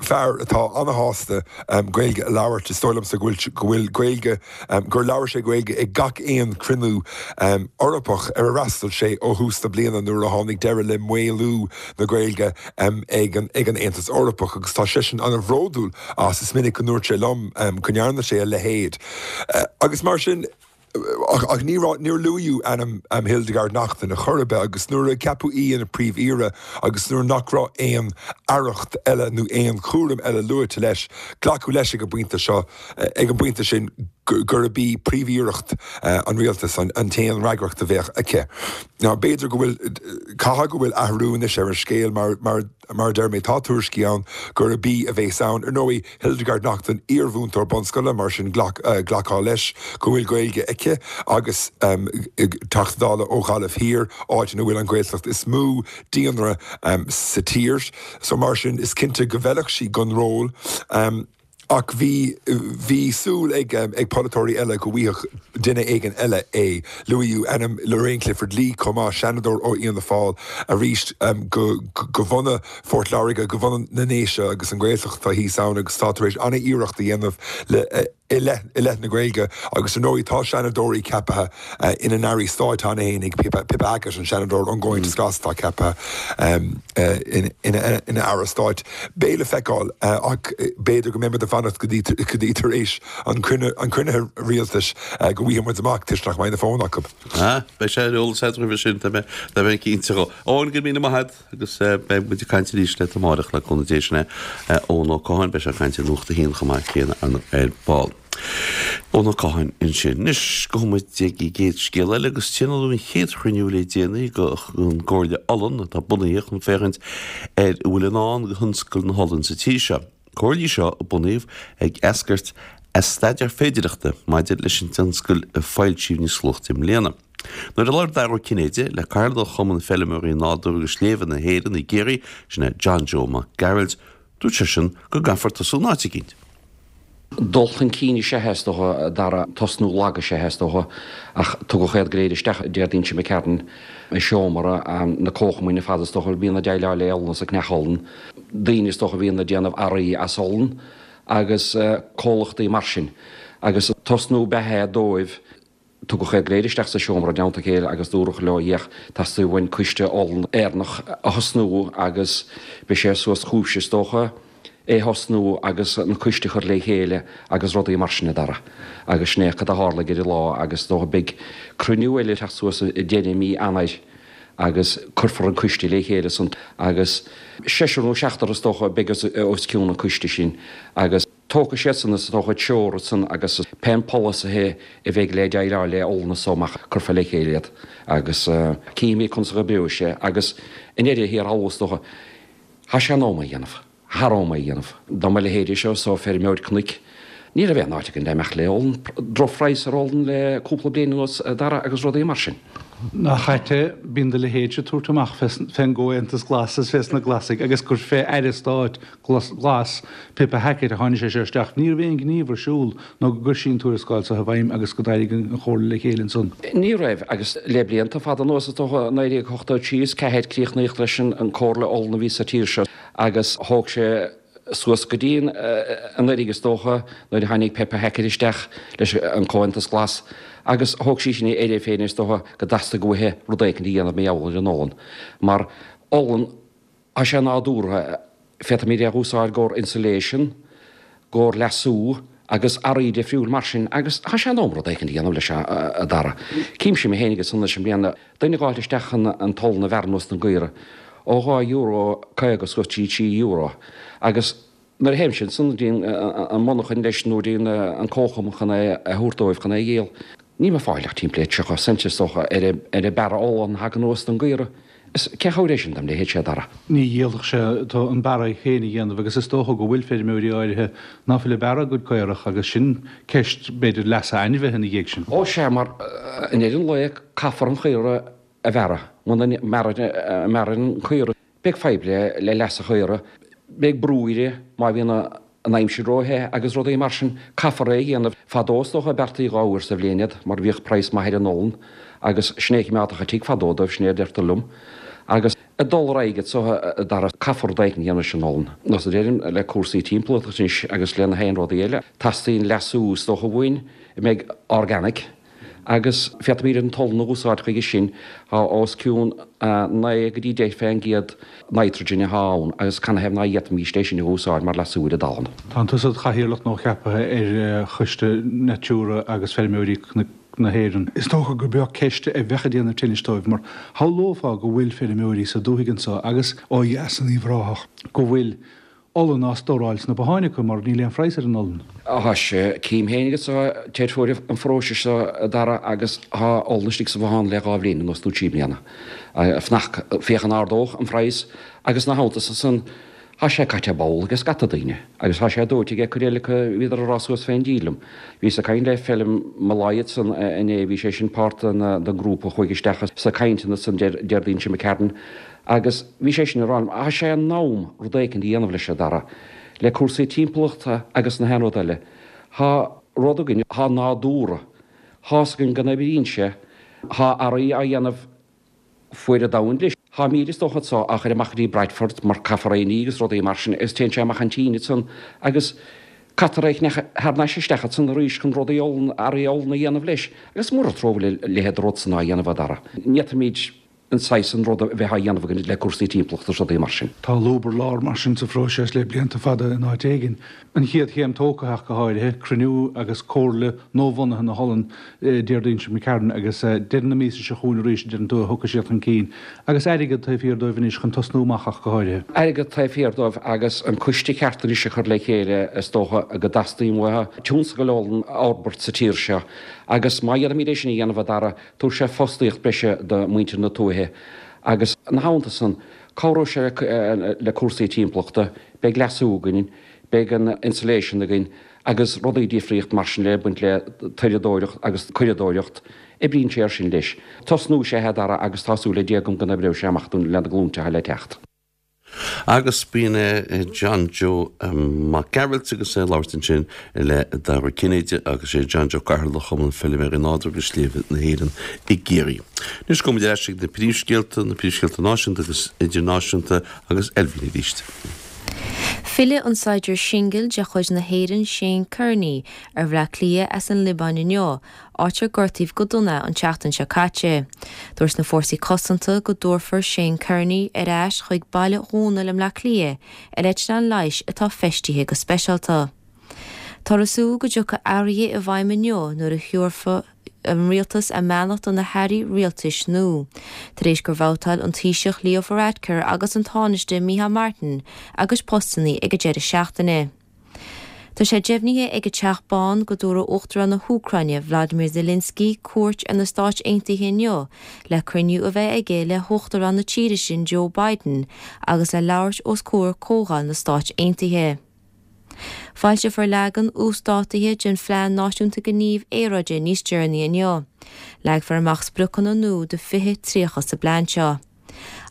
fear atá ana-shásta Gaeilge a labhairt. Is dóigh liomsa go bhfuil, go bhfuil Gaeilge, gur labhair sé Gaeilge ag gach aon chruinniú Eorpach ar ar fhreastail sé ó thús na bliana nuair a tháinig deireadh le maolú na Gaeilge ag an Aontas Eorpach agus tá seisean ana-bhródúil as. Is minic go ndúirt sé liom go ndearna sé a leithéid agus mar sin ach ní raibh, níor luaíodh ainm Hildegarde Naughton ar chor ar bith agus nuair a ceapadh í ina Príomh-Aoire agus nuair nach raibh aon aireacht eile nó aon chúram eile luaite leis, glacadh leis ag an bpointe seo, ag an bpointe sin gurb í Príomh-Aoireacht an Rialtais an t-aon fhreagracht a bheadh aici. Now b'fhéidir go bhfuil, caithfidh go bhfuil athrú anois ar an scéal mar, mar, mar a deir mé, tá tuairiscí ann gurb í a bheas ann. Ar ndóigh, Hildegarde Naughton, iar-mhúinteoir bunscoile, mar sin glac, glactha leis go bhfuil Gaeilge aici agus Teachta Dála ó Ghaillimh Thiar, áit ina bhfuil an Ghaeltacht is mó daonra sa tír. So mar sin, is cinnte go bhfeilfeadh sí don ról. Ach bhí, bhí súil ag, ag polaiteoirí eile go bhfaigheadh duine éigin eile é. Luaíodh ainm Lorraine Clifford-Lee chomh maith, Seanadóir ó Fhianna Fáil, arís go, go bhunadh Phort Láirge, go bhunadh na nDéise agus an Ghaeltacht atá thíos ann agus atá tar éis an-iarracht a dhéanamh le. I leith i leith na Gaeilge agus ar ndóigh tá Seanadóirí ceaptha ina n-airí stáit cheana féin ag Pippa Pippa Hackett, an Seanadóir ón gComhaontas Glas atá ceaptha ina ina aire stáit. Beidh le feiceáil ach b'fhéidir go mbeidh muid ag fanacht go dtí go dtí tar éis an an cruinnithe rialtais go bhfaighidh muid amach toisc nach mbeidh na fóin acu. Ah, beidh sé ar eolas agat roimhe sin, tá mé tá mé cinnte dhó. Eoin, go raibh míle maith agat. Agus beidh muid ag caint arís leat amárach le cúnamh Dé sin é Eoin Ó Catháin, beidh sé ag caint ar Nuacht a hAon chomh maith céanna ar ball. Eoin Ó Catháin ansin. Anois gabhfaidh muid ag an gcéad scéal eile agus tionóladh an chéad chruinniú le déanaí den gComhairle Olann atá bunaithe chun féachaint ar a bhfuil i ndán do thionscal na holann sa tír seo. Comhairle í seo a bunaíodh ag eascairt as staidéar féidireachta maidir leis an tionscal a foilsíodh níos luaithe i mbliana. Nuair a labhair Dara Ó Cinnéide le Cathaoirleach Chumann Feilméaraí Nádúrtha agus Sléibhe na hÉireann i gCiarraí, sin é John Joe Mac Gearailt, dúirt seisean go gcaithfear tosú in áit eicínt. Dul chun cinn is ea é, is dócha, a Dhara, tosnú lag is ea é, is dócha, ach tugadh iad go léir isteach Déardaoin seo imigh tharainn i seomra na comharchumainn ar fad, is dócha, a bhíonn ag déileáil le olann is ag ceannach olann, daoine, is dócha, a bhíonn ag déanamh earraí as olann agus comhlachtaí mar sin. Agus tosnú ab ea é dóibh. Tugadh iad go léir isteach sa seomra i dteannta a chéile agus dúradh leo, Féach, teastaíonn uainn coiste olann Éireannach a thosnú agus beidh sé suas chugaibhse, is dócha, é a thosnú agus an coiste a chur le chéile agus rudaí mar sin, a Dhara. Agus sin é cad a tharlaigh ar an lá agus is dócha beidh cruinniú eile ag teacht suas i deireadh mí Eanáir agus cuirfear an coiste le chéile ansan agus seisear nó seachtar is dócha a beidh os cionn an coiste sin agus Tógfaidh siadsan is dócha treoir ansan agus pé polasaithe a bheidh le déileáil le olann as so amach cuirfear le chéile iad agus cífimid conas a dh'oibreoidh sé agus i ndeireadh thiar thall is dócha tá sé in am é a dhéanamh, thar am é a dhéanamh. Dá mba leithéidí seo so feirmeoir cnoic ní raibh aon áit againn le imeacht le olann, drochphraghas ar olann le cúpla bliain anuas a Dhara agus rudaí mar sin. Nach ait é, bíonn do leithéidse ag tabhairt amach fén gComhaontas Glas is fés na Glasaigh agus gur fé Aire Stáit Glas, Pippa Hackett, a tháinig sé seo isteach. Ní raibh aon ghníomh ar siúl nó go gcuir sí an tuarascáil seo i bhfeidhm agus go d'éirigh an Chomhairle le chéile ansan. Ní raibh, agus le blianta fada anuas, is dócha, 1983 is 4 críochnaíodh leis an Comhairle Olann a bhí sa tír seo agus thóg sé suas go dtí anuraidh, is dócha, nuair a tháinig Pippa Hackett isteach leis an Comhaontas Glas agus thóg sí sin uirthi féin, is dócha, go dteastaigh uaithi rud éicint a dhéanamh mar gheall ar an olann. Mar olann, Tá sé nádúrtha, féadfaimid é a úsáid i gcomhair insulation, i gcomhair leasú agus earraí difriúil mar sin agus tá sé in am rud éicint a dhéanamh leis a Dhara. Címse mé féinig ansan leis an mbliana, duine ag gabháil isteach chun an t-olann a bhearradh anuas don gcaora ó €2.50 suas trí €3 agus Nuair a théimse ansan go dtí an monarchain leis nó go dtí an comharchumann chun é a thabhairt dóibh chun é a dhíol, nílim ag fáil ach timpeall le 30 cent is dócha ar an bearradh olann a thagann anuas don gcaora. Is cén chabhair é sin dom leithéid sé a Dhara? Ní dhíolfadh sé tú an bearradh féin a dhéanamh agus is dócha go bhfuil feirmeoirí áirithe ná fuil ag bearradh a gcuid caorach agus sin ceist b'fhéidir leasa ainmhithe ina dhiaidh sin. Ó sea, mar i ndeireadh an lae caithfear an chaora a bhearradh. Muna mbearrann an caora Beidh fadhb le leas an chaora, beidh brú uirthi má bhíonn an aimsir ró-the agus rudaí mar sin. Caithfear é a dhéanamh. Fadó is dócha beartaí 2 uair sa bhliain iad mar bhíodh praghas maith ar an olann agus sin é a choimeádfadh an tigh fadó dóibh, sin é a deirtear liom. Agus ag dul ar aghaidh anso a Dhara, caithfear rud éicint a dhéanamh leis an olann. Nós a deirim le cúrsaí timpeallachta anois agus le na haon rudaí eile, teastaíonn leasú is dócha uainn a mbeidh organic, agus féadfaimid an t-olann a úsáid chuige sin. Tá os cionn 9 go dtí 10 fén gcéad nitrogen atá ann agus canathaobh ná d'fhéadfaimíst é sin a úsáid mar leasú ar an dtalamh. Tá tusa id chathaoirleach nuacheaptha ar Choiste Natura agus Feirmeoirí na hÉireann. Is dócha gur beag ceist a bheadh ag déanamh tinnis dóibh mar shamhlófá go bhfuil feirmeoirí sa dúthaigh anso agus ó dheas in Uíbh Ráthach go bhfuil olann á stóráil sna botháin acu mar níl aon phraghas ar an olann. Tá sé, cím féin agus deirfiúr an pharóiste seo a Dhara agus tá olann istigh sa bhothán le 2 bhliain anuas nó 3 bliana. Fanacht, féach an ardódh an phraghas agus ina theannta san tá sé caite ball ag scata daoine agus tá sé dóite ag cuid eile acu bhíodar ag rá suas fén díl liom. Bhíos ag caint le Felim Molloy ansan inné, bhí sé sin páirt den ngrúpa a chuaigh isteach sna cainteanna san Déardaoin seo imigh tharainn Agus bhí sé sin ag rá liom, tá sé in am rud éicint a dhéanamh leis, a Dhara, le cúrsaí timpeallachta agus na haon rud eile. Tá rud againn, tá nádúr, tá's againn go n-oibríonn sé, tá earraí á dhéanamh fuaire domhain leis. Tá mil is dócha anso á chur amach go dtí Bradford mar caithfear é a ní agus rudaí mar sin agus téann sé amach an tSín ansan agus. Caithfear é a cheannach thar n-ais isteach ansan arís chun rudaí olann, earraí olann a dhéanamh leis. Agus mura trua a bhfuil a leithéid de rud san á dhéanamh, a Dhara, ní fhéadfaimid an saghas san ruda a bheith á dhéanamh againn le cúrsaí timpeallachta is rudaí mar sin. Tá lúb ar lár mar sin sa phróiseas le blianta fada in áit éigin. An chéad chéim tógtha ach go háirithe, cruinniú agus comhairle nuabhunaithe na hOlann Déardaoin seo McCarron agus deireadh na míosa seo chugainn arís a deireann tú a thiocfaidh siad chun cinn. Agus airgead taobh thiar dóibh anois chun tosnú amach ach go háirithe. Airgead taobh thiar dóibh agus an coiste ceart anois a chur le chéile is dócha go dteastaíonn uathu tionscal olann a fhorbairt sa tír seo agus má dhéanaimid é sin a dhéanamh a Dhara, tabharfaidh sé fostaíocht breise do mhuintir na tuaithe agus ina theannta san cabhróidh sé le cúrsaí timpeallachta, beidh leasú againn, beidh an insulation againn agus rudaí difríocht mar sin le baint le toireadóireacht agus curadóireacht, oibríonn sé ar sin leis. Tosnú is ea é a Dhara agus tá súil le Dia agam go n-oibreoidh sé amach dúinn le na glúinte atá le teacht. Agus b'in é John Joe Mac Gearailt agus é ag labhairt ansin le Dara Cinnéide agus sé John Joe Cathaoirleach Chumann Feilméaraí Nádúrtha agus Sléibhe na hÉireann i gCiarraí. Anois gabhfaimid ar ais ag na príomhscéalta, na príomhscéalta náisiúnta agus idirnáisiúnta agus Elvin arís. Fillfidh an saighdiúir singil de chuid na hÉireann Shane Kearney ar Bhleá Cliath as an Liobáin inniu, áit ar gortaíodh go dona é an tseachtain seo caite. Dúirt na Fórsaí Cosanta go dtabharfar Shane Kearney ar ais chuig Baile Dhónaill i mBleá Cliath ar eitleán leighis atá feistithe go speisialta. Táthar ag súil go dtiocfaidh athruithe i bhfeidhm inniu nuair a thiúrfaidh an rialtas a mbeannacht do na hairí rialtais nua, tar éis gur bhabhtáil an Taoiseach Leo Varadkar agus an Tánaiste Micheál Martin a gcuid postanna ag an deireadh seachtaine. Tá sé deimhnithe ag an Teach Bán go dtabharfaidh Uachtarán na hÚcráine Vladimir Zelensky cuairt ar na Stáit Aontaithe inniu le cruinniú a bheith aige le hUachtarán na tíre sin Joe Biden agus le labhairt os comhair Comhdháil na Stáit Aontaithe. Foilseofar leagan uasdátaithe den Phlean Náisiúnta Gnímh Aeráide níos deireanaí inniu. Leagfar amach spriocanna nua do 2030 sa bplean seo.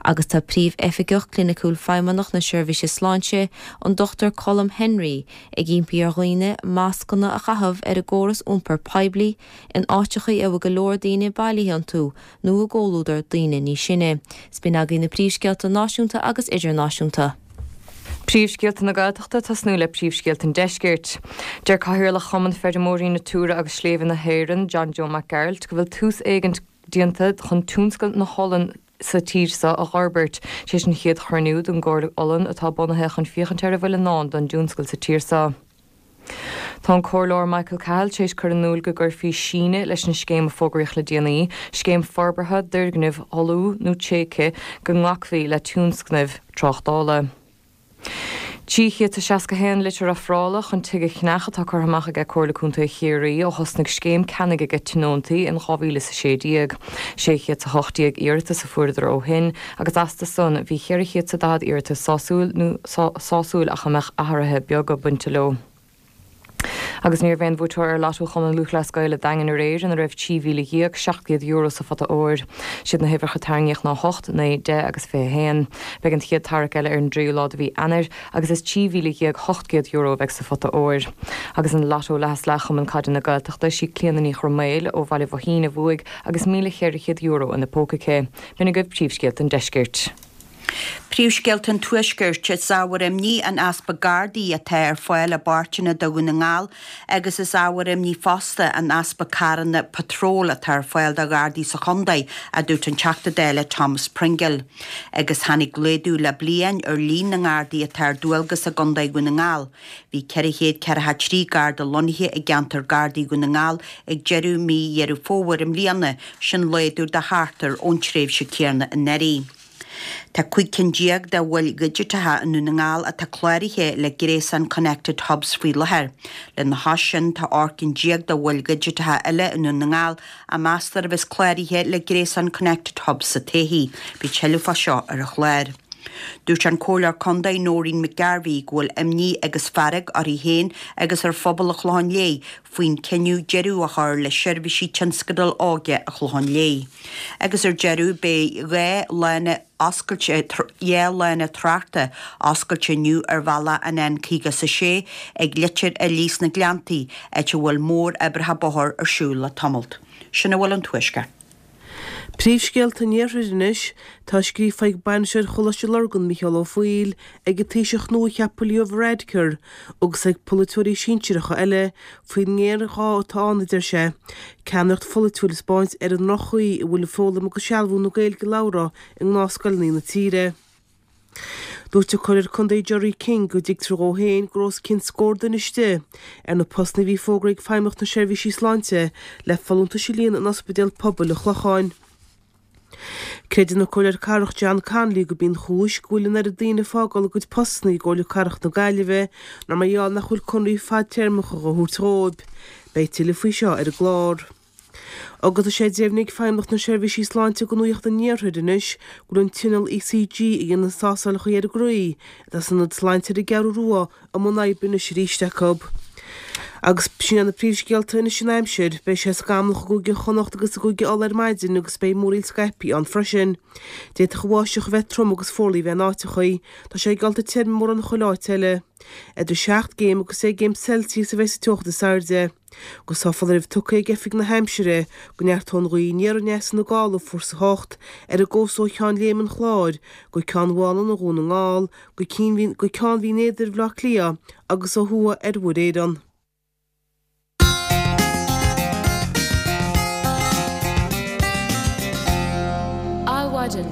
Agus tá Príomh-Oifigeach Cliniciúil Feidhmeannach na Seirbhíse Sláinte, an Dr Colm Henry, ag impí ar dhaoine mascanna a chaitheamh ar an gcóras iompair poiblí, in áiteachaí a bhfuil go leor daoine bailithe iontu nó i gcomhluadar daoine níos sine. 'S b'in agaibh na príomhscéalta náisiúnta agus idirnáisiúnta. Príomhscéalta na Gaeltachta ag tosnú le príomhscéalta an Deiscirt. Deir Cathaoirleach Chumann Feirmeoirí Natura agus Sléibhe na hÉireann, John Joe Mac Gearailt, go bhfuil tús éigint déanta chun tionscal na holann sa tír seo a dh'fhorbairt. Tar éis an chéad chruinniú den gComhairle Olann atá bunaithe chun féachaint ar a bhfuil i ndán don dtionscal sa tír seo. Tá an Comhairleoir Michael Cahill tar éis cur in iúl go gcuirfí síneadh leis an scéim a fógraíodh le déanaí, scéim forbartha d'fhoirgnimh fholmha nó tréigthe, go nglacfaí le tionscnaimh tráchtála. 361 litir ofrála chun tigh a cheannach atá curtha amach aige Comhairle Contae Chiarraí ó thosnaigh scéim ceannaigh aige tionóntaí in 2016. 618 iarratas a fuaireadar ó shin agus astu san bhí 440 iarratas sásúil nó sásúil ach a mbeadh athruithe beaga bainte leo. Agus ní raibh aon bhuaiteoir ar Lotto Chumann Lúthchleas Gael an Daingin aréir ina raibh €13,700 sa phota óir. Siad na huimhreacha a tarraingíodh ná 8, 9, 10 agus 21. Beidh an chéad tarrac eile ar an dtríú lá de mhí Eanáir agus is €13,800 a bheidh sa phota óir. Agus in Lotto Leath is Leath Chumann Caide na Gaeltachta, sí Clíona Ní Chroiméil ó Bhaile Bhoithín a bhuaigh agus €1,400 ina póca aici. B'in agaibh príomhscéalta an deiscirt. Príomhscéalta an Tuaiscirt, Is ábhar imní an easpa Gardaí atá ar fáil i bpáirteanna de Dhún na nGall agus is ábhar imní fosta an easpa carranna patróil atá ar fáil do Ghardaí sa chontae, a dúirt an Teachta Dála Thomas Pringle. Agus tháinig laghdú le bliain ar líon na nGardaí atá ar dualgas i gContae Dhún na nGall. Bhí 443 Garda lonnaithe i gceantar Gardaí Dhún na nGall ag deireadh mí Dheireadh Fómhair i mbliana, sin laghdú de thart ar ón tréimhse céanna anuraidh. Tá 15 cinn de mhoil dhigiteacha i nDún na nGall atá cláraithe le gréasán Connected Hubs faoi láthair. Lena chois sin, tá 18 cinn de mhoil dhigiteacha eile i nDún na nGall a meastar a bheas cláraithe le gréasán Connected Hubs sa todhchaí. Beidh tuilleadh fá seo ar an chlár. Dúirt an Comhairleoir Contae Noreen McGarvey go bhfuil imní agus fearg uirthi féin agus ar phobal an Chlocháin Léith faoin cinneadh deireadh a chur le seirbhísí tionscadal óige an Chlocháin Léith. Agus ar deireadh beidh 2 lána oscailte 2 lána tráchta oscailte inniu ar bhealach an N56 ag Leitir Fhiilí sna Gleanntaí, áit a bhfuil mór-oibreacha bóthair ar siúl le tamalt. Sin a bhfuil ón Tuaisceart. Príomhscéalta an Iarthair anois, Tá scríofa ag Bainisteoir Choláiste Lurgan, Micheál Ó Foighil, ag an Taoiseach nua-cheaptha Leo Varadkar agus ag polaiteoirí sinsearacha eile faoin ngéarghá atá ann, a deir sé, ceannaireacht pholaitiúil a 'spáint ar an ndroch-chaoi a bhfuil foghlaim agus sealbhú na Gaeilge labhartha i ngnáthscoileanna na tíre. Dúirt an Comhairleoir Contae Gerry King go dtuigtear dhó féin go raibh os cionn scór duine istigh ar na postanna a bhí fógartha ag Feidhmeannacht na Seirbhísí Sláinte le folúntais a líonadh in Ospidéal Pobail an Chlocháin. Creideann an Comhairleoir Cathrach John Connolly gurb í an chúis go bhfuil an oiread daoine ag fágáil a gcuid postanna i gComhairle Cathrach na Gaillimhe ná mar gheall nach bhfuil conraí fadtéarmacha á thabhairt dhóibh. Beidh tuilleadh faoi seo ar an gclár. Agus tá sé deimhnithe ag Feidhmeannacht na Seirbhísí Sláinte do Nuacht an Iarthair anois go bhfuil an t-inneall ECG a dhéanann tástálacha ar an gcroí atá san Ionad Sláinte ar an gCeathrú Rua i mbun oibre anois arís acu. Agus sin iad na príomhscéalta anois an aimsir. Beidh sé scamallach i gCúige Chonnacht agus i gCúige Uladh ar maidin agus beidh múraíl scaipthe ann freisin. D'fhéadfadh an bháisteach a bheith trom agus fuarlaigh a bheith in áiteachaí. Tá sé geallta tirim i mórán chuile áit eile. Idir 7 gcéim agus 10 gcéim Celsius a bheidh sa teocht is airde. Agus tá foláireamh tugtha ag Oifig na hAimsire go neartóidh an ghaoth aniar aneas ina gála fórsa 8 ar an gcósta ó Cheann Léime an Chláir go Ceann Mhálanna Dhún na nGall go go Ceann Bhinn Éadair Bhaile Átha Cliath agus ó thuaidh ar Mhuir Éireann. Adhmhaidin.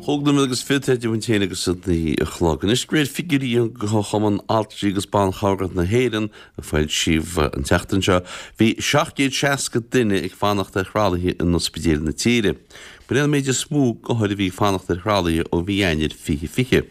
Chúig nóiméad agus fichead idir muid féin agus a naoi a chlog. Anois, de réir figiúirí Chumann Altraí agus Ban Chabhrach na hÉireann, a foilsíodh an tseachtain seo, bhí 760 duine ag fanacht ar thralaithe in ospidéil na tíre. B'in é an méid is mó d'othair a bhí ag fanacht ar thralaithe ó mhí Eanáir 2020.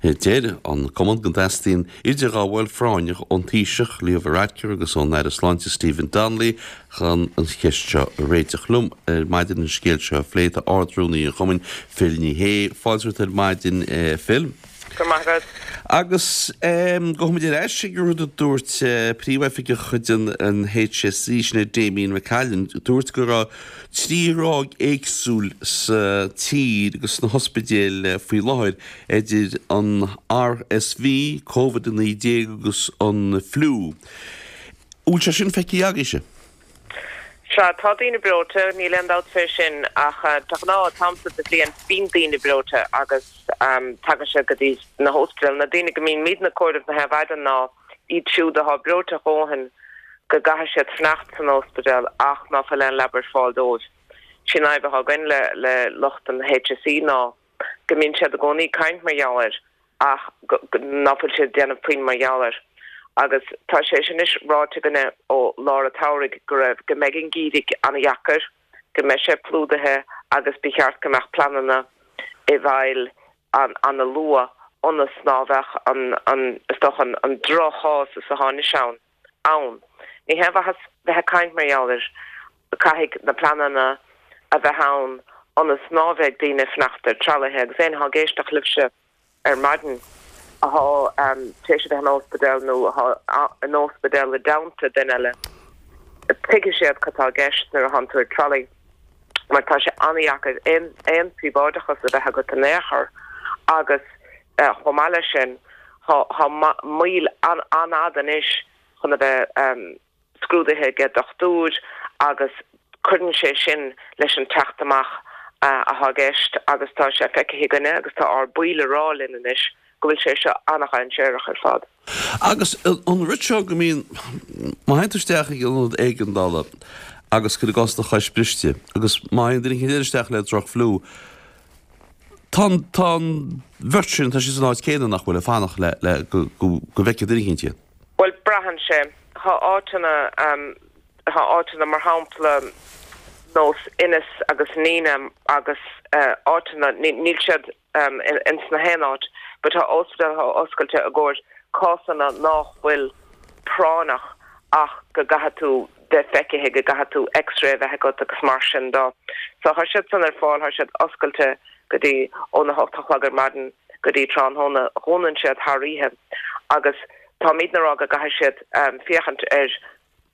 Deir an cumann go dteastaíonn idirghabháil phráinneach ón Taoiseach, Leo Varadkar agus ón Aire Sláinte Stephen Donnelly chun an cheist seo a réiteach. Liom ar maidin an scéal seo a phlé tá Ard-Rúnaí an chumainn, Phil Ní Sheaghdha. Fáilte romhat ar maidin, Phil. Go raibh maith agat. Agus gabhfaimid ar ais ag an rud a dúirt príomhoifigeach de chuid an HSE, sin é Damien McCallion, dúirt go raibh trí thráigh éagsúil sa tír agus sna hospidéil faoi láthair, idir an RSV, Covid-19 agus an fliú. An bhfuil sé sin feicthe agaibhse? Sea, tá daoine breoite, níl aon dabht fé sin, ach de ghnáth, an t-am so de bhliain, bíonn daoine breoite agus tagann siad go dtí na hóspidéil. Na daoine go mbímidne ag comhaireamh na hadhmhaidin ná iad siúd athá breoite a dhóthain go gcaithfidh siad fanacht san óspidéal ach ná fuil aon leaba ar fáil dóibh. Sin an fhadhb athá againn le lucht an HSE ná go mbíonn siad i gcónaí ag caint mar gheall air ach ná fuil siad ag déanamh puinn mar gheall air. Agus tá sé sin anois ráite againne ó lár an tsamhraidh go raibh, go mbeidh an geimhreadh an-dheacair, go mbeidh sé plódaithe agus ba cheart go mbeadh pleananna i bhfeighil an-luath ionas ná bheadh an, an, is dócha an, an droch-chás is athá anois ann. ann. Ní haon mhaitheas bheith ag caint mar gheall air, caithfidh na pleananna a bheith ann ionas ná bheidh daoine ag fanacht ar tralaithe agus éinne athá ag éisteacht libhse ar maidin athá tar éis a bheith in óspidéal nó athá in óspidéal i dteannta duine eile, tuigfidh siad cad tá i gceist nuair athánn tú ar tralaí mar tá sé an-dheacair aon aon phríobháideachas a bheith agat in aon chor agus Chomh maith leis sin, tá moill an-fhada anois chun a bheith scrúdaithe ag dochtúir agus cuireann sé sin leis an teacht amach atá i gceist agus tá sé feicthe againne agus tá ár baill ag rá linn anois go bhfuil sé seo an-dhainséarach ar fad. Agus an rud seo go mbíonn, má théann tú isteach ag ionad éigeandála agus cuir i gcás do chois briste agus má théann duine éicint eile isteach le droch-fhliú, Tá an, tá an bheirt sin, tá siad san áit céanna nach bhfuil, ag fanacht le, le, go, go, go bhfeicfidh duine éicint iad. Bhuel, braitheann sé. Tá áiteanna, tá áiteanna mar shampla nós Inis agus Nenagh agus áiteanna, níl siad ins na haon áit, but tá ospidéal atá oscailte i gcomhair cásanna nách bhfuil práinneach ach go gcaithfidh tú bheith feicithe, go gcaithfidh tú x-ray a bheith agat agus mar sin dó. So thá siad san ar fáil, thá siad oscailte go dtí óna hocht a chlog ar maidin go dtí tráthnóna, dhúnann siad thar oíche agus táimidne a rá go gcaithfidh siad féachaint ar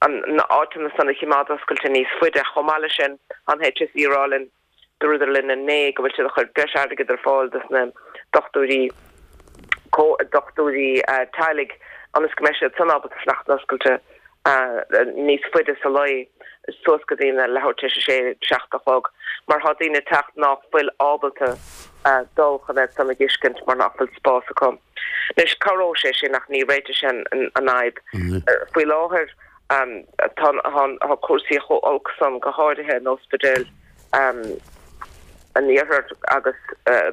an na áiteanna san a chimeád oscailte níos faide. Chomh maith leis sin, tá an HSE a rá linn, dúradar linn inné go bhfuil siad a chur breis airgid ar fáil dos na dochtúirí, dochtúirí teaghlaigh ionas go mbeidh siad san ábalta fanacht oscailte níos faide sa lae. suas go dtí na leathuair tar éis a sé, 7 a chlog, mar thá daoine ag teacht ná fuil ábalta dul chun iad san a dh'fheiscint mar nach bhfuil spás acu. Anois, cabhróidh sé sin ach ní réiteoidh sé an fhadhb. Faoi láthair tá tá cúrsaí chomh olc san, go háirithe in ospidéil an iarthair agus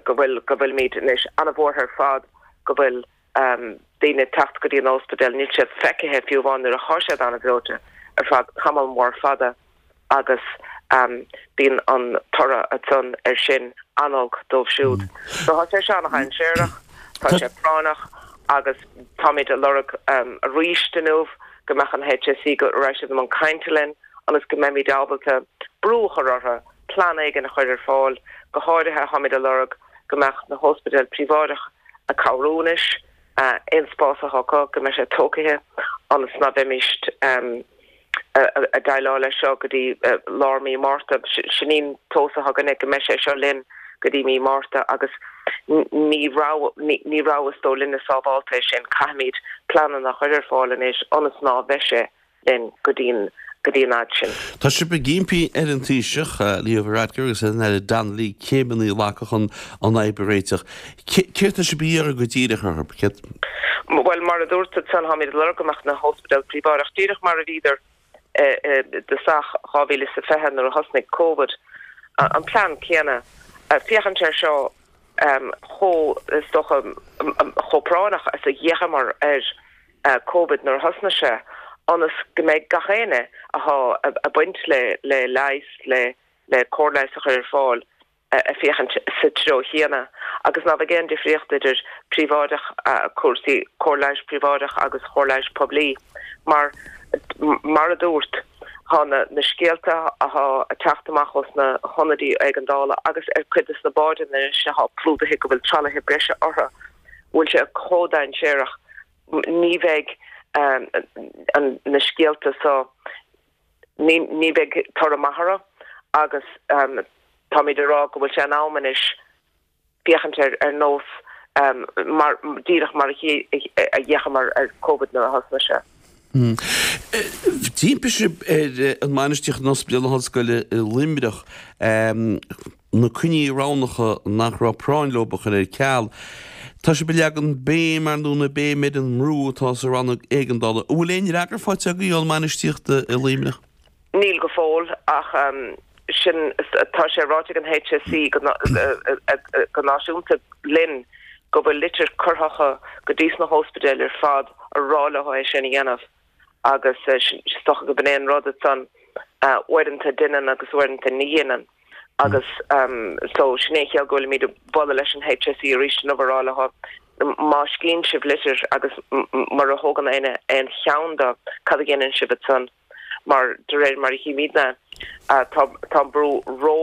go bhfuil go bhfuilimid anois an-bhuartha ar fad go bhfuil daoine ag teacht go dtí an ospidéal, níl siad feicthe fiú amháin nuair athá siad an-bhreoite ar feadh tamall mór fada agus bíonn an toradh ansan ar sin an-olc dóibh siúd. So tá sé seo an-dhainséarach, tá sé práinneach agus táimid ag lorg arís inniu go mbeadh an HSE, go raibh siad i mbun cainte linn ionas go mbeimid ábalta brú a chur orthu plean éigin a chur ar fáil, go háirithe táimid ag lorg go mbeadh na hóspidéil príobháideach ag cabhrú anois, aon spás atá acu, go mbeidh sé tógtha ionas ná bheimíst ag déileáil leis seo go dtí lár mí Márta. Sin í an tomhas atá againne, go mbeidh sé seo linn go dtí mí Márta agus ní rogha, ní rogha is dóigh linne sábhálta é sin. Caithfimid pleananna a chur ar fáil anois ionas ná bheidh sé linn go dtí an go dtí an fhad sin. Tá sibh ag impí ar an Taoiseach, Leo Varadkar agus ar an Aire Donnelly céimeanna a ghlacadh chun an fhadhb a réiteach. Céard tá sibh a iarraidh go díreach orthu? Céard. Bhuel, mar a dúirt ansan, táimid ag lorg go mbeadh na hóspidéil príobháideach díreach mar a bhíodar i dtosach 2020 nuair a thosnaigh Covid, an plean céanna, féachaint air seo chomh, is dócha, chomh práinneach is a d'fhéachamar ar Covid nuair a thosnaigh sé, ionas go mbeidh gach éinne athá ag baint le le leigheas, le le cóir leighis a chur ar fáil ag féachaint sa treo chéanna agus ná bheidh aon difríocht idir príobháideach, cúrsaí cóir leighis príobháideach agus chóir leighis poiblí mar mar a dúrt thá na na scéalta athá ag teacht amach ós na hionaidí éigeandála agus ar cuid des na báideanna anois athá plúdaithe go bhfuil tralaithe breise orthu bhfuil sé chomh dainséarach ní bheidh na scéalta so, ní bheidh toradh maith orthu agus táimid ag rá go bhfuil sé in am anois féachaint air ar nós mar, díreach mar a d'fhéachamar ar Covid nuair a thosnaigh sé. D'impigh sibh ar an mbainistíocht in Ospidéal na hOllscoile i Luimneach na coinní roghnacha nach raibh práinn leo a chur ar ceal. Tá sibh ag leagan béim, ar ndóigh, na béim ar an mbrú atá sa rannóg éigeandála. An bhfuil aon fhreagra faighte agaibh ón mbainistíocht i Luimneach? Níl go fóill, ach sin, tá sé ráite ag an HSE go náisiúnta linn go bhfuil litir curtha acu go dtí sna hóspidéil ar fad a rá leo é sin a dhéanamh. agus is dócha go b'in é an rud ansan, uaireanta deineann agus uaireanta ní dheineann agus so sin é an chiall go bhfuilimid ag bualadh leis an HSE arís inniu a rá leo má scríonn sibh litir agus mura thógann éinne aon cheann de cad a dhéanann sibh ansan mar de réir mar a chímidne tá tá an brú ró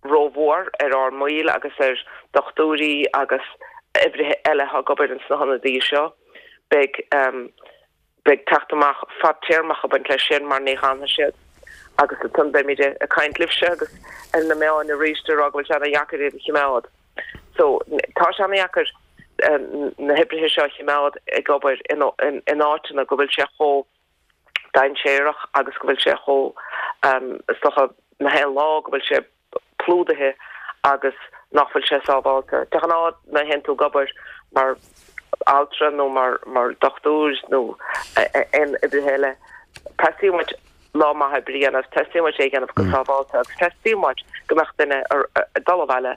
rómhór ar ár mbaill agus ar dochtúirí agus oibrithe eile atá ag obair ins na hionadaí seo. Beidh beidh teacht amach fadtéarmach ag baint leis sin mar ní fhanfaidh siad agus ansan beimid ag caint libhse agus ar na meáin arís ag rá go bhfuil sé ana-dheacair iad a chimeád. So tá sé ana-dheacair na hoibrithe seo a chimeád ag obair in in áiteanna go bhfuil sé chomh dainséarach agus go bhfuil sé chomh, is dócha, na haon lá go bhfuil sé plúdaithe agus nach bhfuil sé sábhálta. De ghnáth nuair a théann tú ag obair mar altra nó mar mar dochtúir nó aon oibrithe eile, teastaíonn uait lá maith oibre a dhéanamh, teastaíonn uait é a dhéanamh go sábhálta agus teastaíonn uait go mbeadh duine ag dul abhaile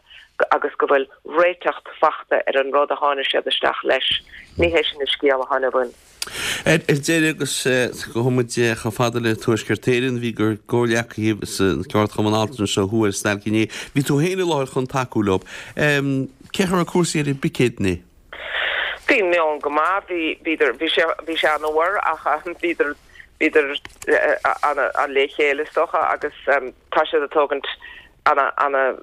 agus go bhfuil réiteacht fachta ar an rud a tháinig siad isteach leis. Ní hé sin an scéal atá againn. Ar deireadh, agus gabhfaidh muid chomh fada le Tuaisceart Éireann, bhí bhur gcomhghleacaithe sa gceardchumann altranais ó thuaidh ar stailc inné. Bhí tú féin i láthair chun tacú leo. Cén chaoi a raibh cúrsaí ar an bpicéad inné? Bhí an meon go maith. Bhí, bhíodar, bhí sé, bhí sé an-fhuar ach bhíodar, bhíodar an-le chéile is dócha agus tá siad ag tógaint ana, ana,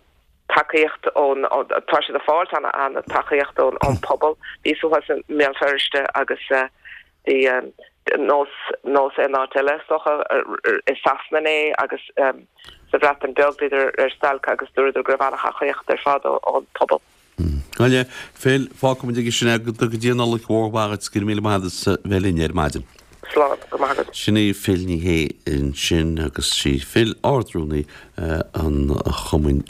tacaíocht ón, tá siad ag fáilt an-tacaíocht ón pobal. Bhíos thuas i mBéal Feirste agus bhí nós, nós aon áit eile is dócha, i Sasana inné agus sa Bhreatain Bheag bhíodar ar stailc agus dúradar go raibh an-thacaíocht ar fad ón pobal. Bhuel, a Phil, fágfaimid aige sin é go dtí an Nollaig mhór mhaith dhuit, go raibh míle maith agat as a bheith linn ar maidin. Slán, go raibh maith agat. Sin í Phil Ní Sheaghdha ansin agus sí Phil Ard-Rúnaí an Chumainn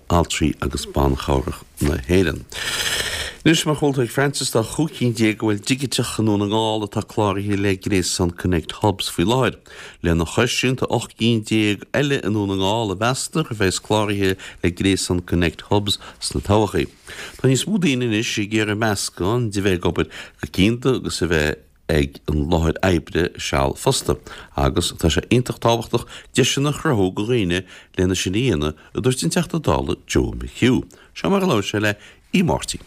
Altraí agus Ban Chabhrach na hÉireann. Anois, mar a chuala tú ag Frances, tá 15 cinn de mhoil dhigiteacha i nDún na nGall atá cláraithe le gréasán Connect Hubs faoi láthair. Lena chois sin, tá 18 gcinn eile i nDún na nGall a mheastar a bheas cláraithe le gréasán Connect Hubs sna todhchaí. Tá níos mó daoine anois ag iarraidh meascán de bheith ag obair go cianda agus a bheith ag an láthair oibre seal fosta, agus tá sé iontach tábhachtach deiseanna a chruthú do dhaoine lena sin a dhéanamh, a dúirt an Teachta Dála Joe McHugh. Seo mar a labhair sé le Aodh Máirtín.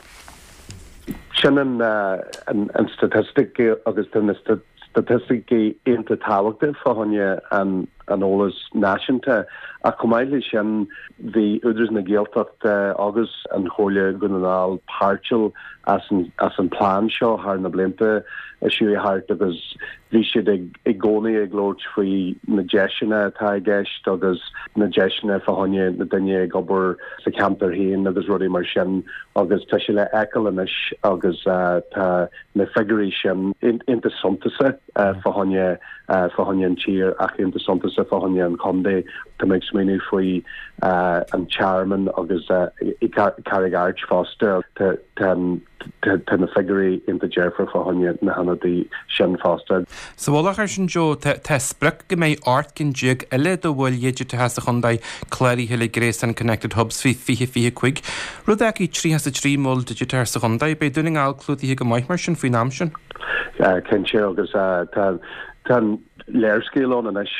Sin an staitistic agus tá na staitisticí iontach tábhachtach fá choinne an eolas náisiúnta ach chomh maith leis sin bhí Údarás na Gaeltachta agus an Chomhairle Dhún na nGall páirtiúil as an plean seo thar na blianta a chuaigh thart agus bhí siad ag i gcónaí ag labhairt faoi na deiseanna atá i gceist agus na deiseanna fá choinne na duine ag obair sa cheantar féin agus rudaí mar sin agus tá sé le feiceáil anois agus tá na figiúirí sin iontach suntasach fá choinne fá choinne an tír ach iontach suntasach fá choinne an chontae. Tá mé ag smaoineamh faoi an Tearmann agus i Carraig Airt fosta. Tá tá na figiúirí iontach dearfach fá choinne na hionadaí sin fosta. Sa mhullach air sin, Joe, tá sprioc go mbeidh 18 cinn eile de mhoil dhigiteacha sa chontae cláraithe le gréasán Connected Hubs faoi 2025, rud a fhágfaidh 33 mol digiteach sa chontae. Beidh Dún na nGall clúdaithe go maith mar sin faoin am sin. Cinnte, agus tá an léarscáil ann anois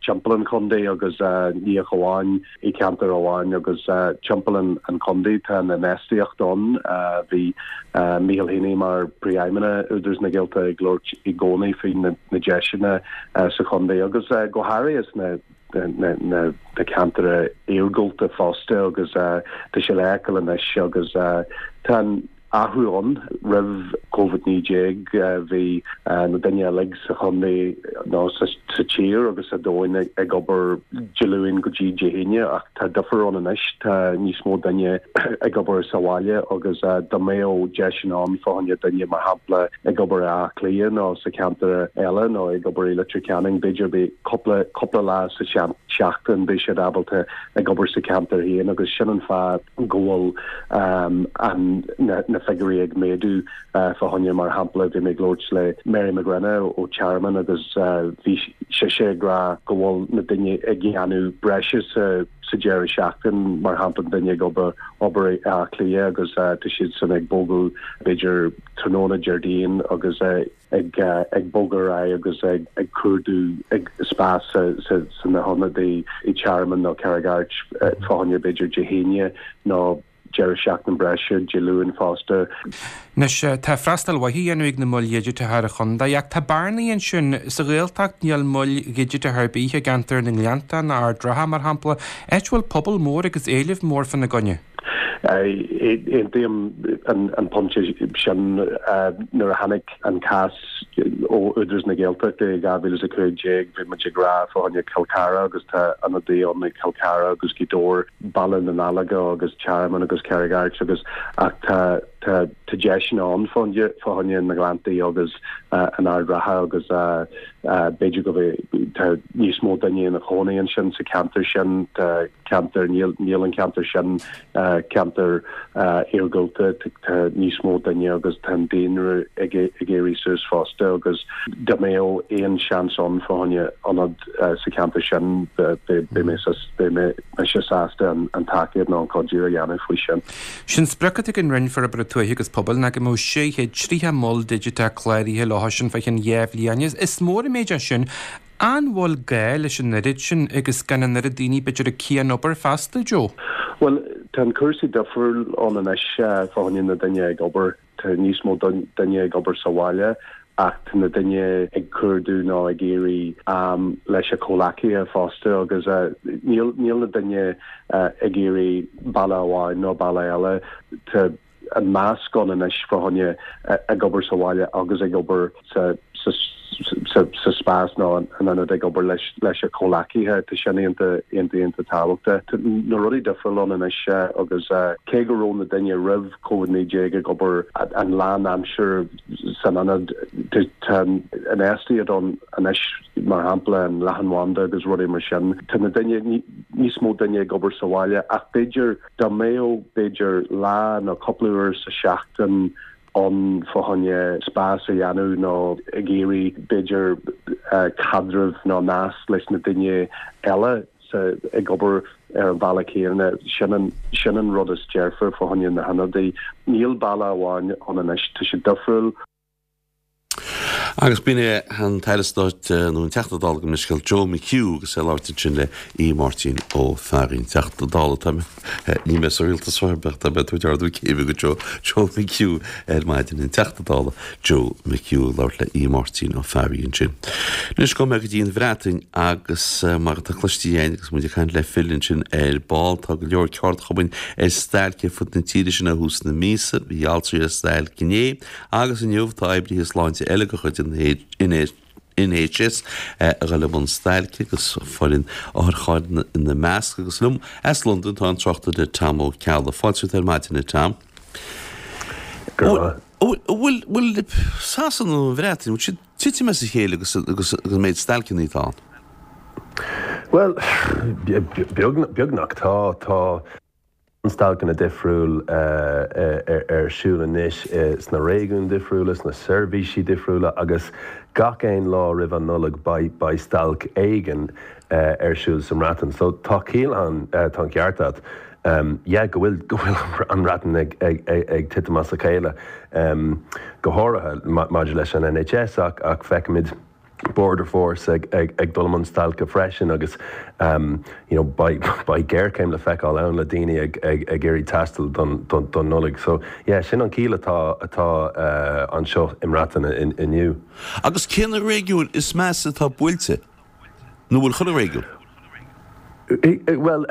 timpeall an chontae agus ní ach amháin i gceantar amháin agus timpeall an chontae tá an infheistíocht ann. Bhí Micheál Heaney mar Príomhfheidhmeannach Údarás na Gaeltachta ag labhairt i gcónaí faoi na deiseanna sa chontae agus go háirithe sna na ceantair iargúlta fosta agus tá sé le feiceáil anois agus tá an athrú ann. Roimh Covid-19 bhí na duine uilig sa chontae nó sa tír agus sa domhain ag obair Dé Luain go dtí Dé hAoine ach tá difear ann anois, tá níos mó duine ag obair sa bhaile agus dá mbeadh deiseanna ann fá choinne duine mar shampla ag obair i Áth Cliath nó sa cheantar eile nó ag obair i Leitir Ceanainn b'fhéidir beidh cúpla cúpla lá sa seachtain beidh siad ábalta ag obair sa cheantar féin agus sin an fáth go bhfuil an na figiúirí ag méadú fá choinne mar shampla bhí mé ag labhairt le Mary McGrenna ó Tearmann agus bhí sise ag rá go bhfuil na duine ag dhéanamh breise sa sa deireadh seachtain mar shampla duine ag obair obair i Áth Cliath agus tá siad san ag bogadh b'fhéidir tráthnóna Déardaoin agus ag ag bogadh ar aghaidh agus ag ag cuardú ag spás sa sa sna hionadaí i Tearmann nó Carraig Airt fá choinne b'fhéidir Dé hAoine nó deireadh seachtain breise Dé Luain fosta. Anois, tá freastal mhaith á dhéanamh ag na moil dhigiteacha ar an chontae, ach tá bearnaí ansin. Sa Ghaeltacht níl moil dhigiteacha ar bith i gceantar na nGleannta ná Ard Ratha, mar shampla, áit a bhfuil pobal mór agus éileamh mór fána gcoinne. Aontaím an pointe sin. Nuair a tháinig an cás ó Údarás na Gaeltachta i 2015 bhí muid ag rá fá choinne Cill Chartha agus tá ionadaí ann i Cill Chartha agus Gaoth Dobhair, Baile na nDáileoga agus Tearmann agus Carraig Airt agus ach tá tá tá deiseanna ann fá choinne na nGleanntaí agus an Ard Ratha agus b'fhéidir go bhfuil tá níos mó duine ina chónaí ansin sa cheantar sin. Tá ceantar, níl, níl an ceantar sin ceantar iargúlta, tá níos mó duine agus tá an daonra ag ag éirí suas fosta agus dá mbeadh aon seans ann fá choinne ionad sa cheantar sin beidh mé beidh mé mise sásta an an tacaíocht nó an cuidiú a dhéanamh faoi sin. Sé'n sprioc atá ag an Roinn Forbartha Tuaithe agus Pobail ná go mbeadh 630 mol digiteach cláraithe leo sin fá cheann 2 bhliain. Is mór an méid é sin An bhfuil gá leis an oiread sin agus gan an oiread daoine b'fhéidir ag cian-obair feasta, Joe? Bhuel, tá an cúrsaí difriúil ann anois fá choinne na duine ag obair. Tá níos mó duine ag obair sa bhaile ach tá na duine ag cuardú nó ag iarraidh am leis a comhleacaithe fosta agus níl níl na duine ag iarraidh baile amháin nó baile eile. Tá an meascán anois fá choinne ag obair sa bhaile agus ag obair sa. sa spás nó in ionad ag obair leis leis a comhleacaithe. Tá sin iontach iontach iontach tábhachtach. Tá na rudaí difriúil ann anois agus cé go raibh na daoine roimh Covid-19 ag obair an lán aimsir san ionad, tá an infheistíocht ann anois mar shampla an leathanbhanda agus rudaí mar sin. Tá na daoine, níos mó daoine ag obair sa bhaile ach b'fhéidir dá mbeadh b'fhéidir lá nó cúpla uair sa seachtain ann fá choinne spás a dhéanamh nó ag iarraidh b'fhéidir caidreamh nó nasc leis na daoine eile sa ag obair ar an bhealach céanna, sin an sin an rud is dearfa fá choinne na hionadaí. Níl bealach amháin ann anois, tá sé difriúil. Agus b'in é an tAire Stáit, nó an Teachta Dála gabh mo leithscéal, Joe McHugh agus é ag labhairt ansin le Aodh Máirtín Ó Fearraigh, an Teachta Dála. Tá mé, níl mé sa rialtas ar bith, tá mé ag tabhairt ardú céime go Joe, Joe McHugh ar maidin, an Teachta Dála Joe McHugh ag labhairt le Aodh Máirtín Ó Fearraigh ansin. Anois gabhfaidh mé go dtí an Bhreatain agus mar atá cloiste againn agus muid ag caint le Phil ansin ar ball, tá go leor ceardchumainn ar stailc ar fud na tíre sin ó thús na míosa. Bhí altraí ar stailc inné. Agus inniu tá oibrithe sláinte eile de chuid an NHS a dhul i mbun stailce agus foireann otharchairr ina measc. Agus liom as Londain tá an tráchtaire Tom Ó Ceallaigh. Fáilte romhat ar maidin, a Tom. Go raibh maith. Bhfuil, bhfuil Sasana nó an Bhreatain, bhfuil siad ag titim as a chéile agus agus an méid stailceanna atá ann? Bhuel, beagnach tá, tá. stailceanna difriúil ar siúl anois sna réigiúin difriúla, sna seirbhísí difriúla agus gach aon lá roimh an Nollaig beidh stailc éigin ar siúl sa mBreatain. So tá ciall ann, tá an ceart agat, yeah, go bhfuil, go bhfuil an Bhreatain ag titim as a chéile, go háirithe maidir leis an NHS ach feicimid, Border Force ag dul i mbun stailce freisin agus you know beidh géarchéim le feiceáil ann le daoine ag iarraidh taisteal don Nollaig. So yeah, sin an chiall atá atá anseo i mBreatain inniu. Agus cé na réigiúin is measa atá buailte? Nó bhfuil chuile réigiún? Bhuel,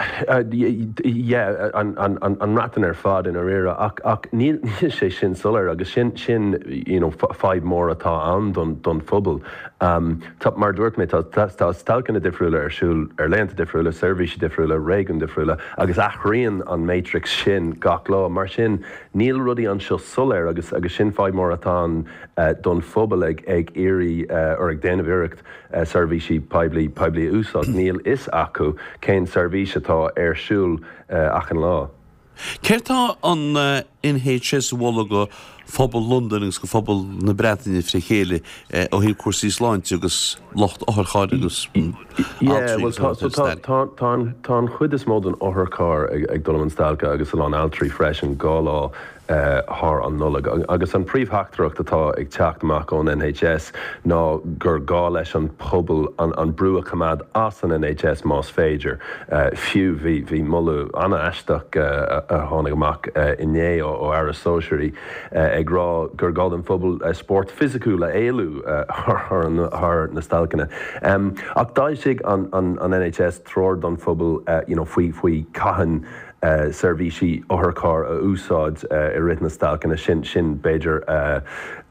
yeah, an mBreatain ar fad i ndáiríre, ach ach níl sé sin soiléir agus sin sin you know fadhb mór atá ann don don phobal. Tá, mar a dúirt mé, tá tá stailceanna difriúla ar siúl ar laethanta difriúla, seirbhísí difriúla, réigiúin difriúla agus athraíonn an matrix sin gach lá. Mar sin, níl rudaí anseo soiléir agus agus sin fadhb mór atá ann don phobal ag ag iarraidh or ag déanamh iarracht seirbhísí poiblí poiblí a úsáid, níl fhios acu cén seirbhís atá ar siúl achan lá. Céard tá an NHS a mholadh go phobal Londain agus go phobal na Breataine fré chéile ó thaobh cúrsaí sláinte agus lucht otharchairr agus altraí agus tá tá tá tá an tá an chuid is mó den otharcharr ag dul i mbun stailce agus a lán altraí freisin 2 lá thar an Nollaig. Agus an príomhtheachtaireacht atá ag teacht amach ón NHS ná gur gá leis an pobal an brú a choimeád as an NHS más féidir. Fiú bhí bhí moladh an-aisteach a tháinig amach inné ó Aire Sóisearaí ag rá gur gá don phobal spórt fisiciúil a éalú thar na stailceanna. Ach d'fhoilsigh an NHS treoir don phobal you know faoi faoi cathain seirbhísí otharchairr a úsáid i rith na stailceanna, sin, sin b'fhéidir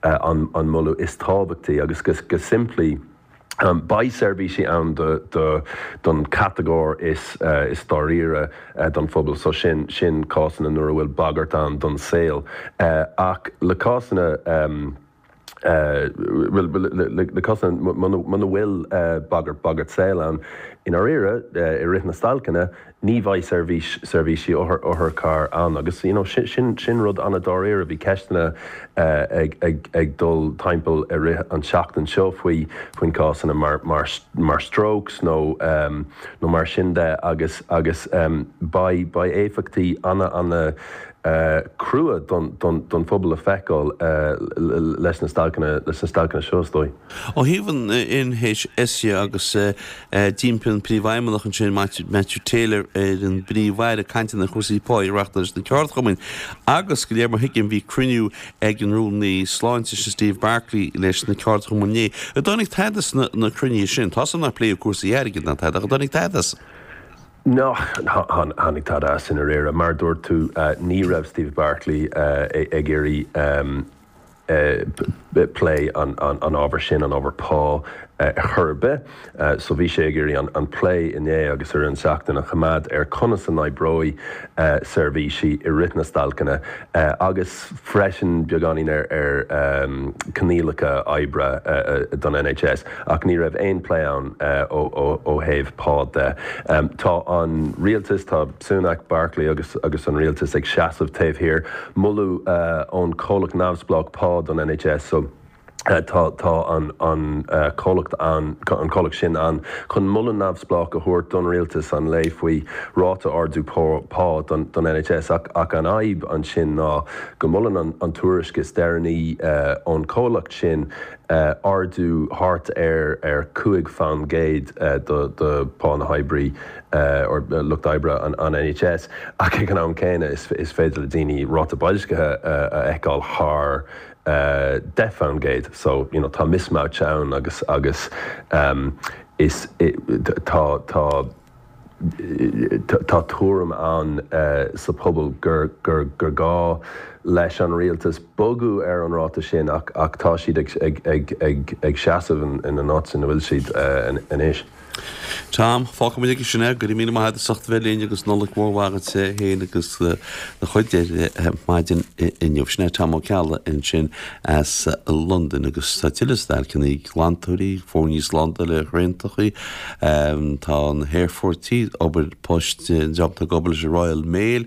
an moladh is tábhachtaí agus go simplí beidh seirbhísí ann do, don chatagóir is, is dáiríre don phobal so sin, sin cásanna nuair a bhfuil bagairt ann don saol ach le cásanna. le cásanna muna bhfuil bagairt, bagairt saoil ann, i ndáiríre, i rith na stailceanna, ní bheidh seirbhís, seirbhísí otharchairr ann agus you know sin, sin, sin rud an-dáiríre. Bhí ceisteanna ag, ag, ag dul timpeall i rith an tseachtain seo faoi, faoin cásanna mar, mar, mar strokes nó, nó mar sin de agus, agus beidh, beidh éifeachtaí ana, ana, crua don phobal le feiceáil leis na stailceanna leis na stailceanna seo, is dóigh. Ó thaobh an NHS dhe agus d'impigh an Príomhfheidhmeannach ansin Matthew Taylor ar an bPríomh-Aire cainteanna ar chúrsaí pá a reáchtáil leis na ceardchumainn agus de réir mar thuigim bhí cruinniú ag an Rúnaí Sláinte sin Steve Barclay leis na ceardchumainn inné. An dtáinig tada as na cruinnithe sin? Tá 's agam nár pléadh cúrsaí airgid ná tada ach an dtáinig tada as? Níor tháinig tada as i ndáiríre. Mar a dúirt tú, ní raibh Steve Barclay ag iarraidh. plé an ábhair sin, an ábhar pá, ar chor ar bith. So bhí sé ag iarraidh an plé inné agus ar an seachtain a choimeád ar conas a n-oibreoidh seirbhísí i rith na stailceanna agus freisin beagáinín ar coinníollacha oibre don NHS ach ní raibh aon plé ann ó thaobh pá de. Tá an rialtas, tá Sunak, Barclay agus agus an rialtas ag seasamh taobh thiar moladh ón comhlacht neamhspleách pá don NHS so tá tá an an comhlacht an an comhlacht sin ann chun moladh neamhspleách a thabhairt don rialtas an lae faoi ráta ardú pá don don NHS ach ach an fhadhb ansin ná go molann an an tuairisc is deireanaí ón comhlacht sin ardú thart ar ar 5 faoin gcéad do do pá na hoibrí or lucht oibre an NHS ach ag an am céanna is féidir le daoine ráta boilscithe a fheiceáil thar 10% so you know tá mismatch ann agus agus is tá tá tá tuairim ann sa phobal gur gur gur gá leis an rialtas bogadh ar an ráta sin ach ach tá siad ag ag ag ag ag seasamh ina n-áit ina bhfuil siad anois. Tom, fágfaidh muid aige sin é. Go raibh míle maith agat as ucht a bheith linn agus Nollaig mhór mhaith agat féin agus do chuid ar maidin inniu. Sin é Tom Ó Ceallaigh ansin as Londain agus tá tuilleadh stailceanna, glantóirí, foirne slándála ar thraentachaí, tá na haerfoirtí, obair poist, an dream atá ag obair leis an Royal Mail.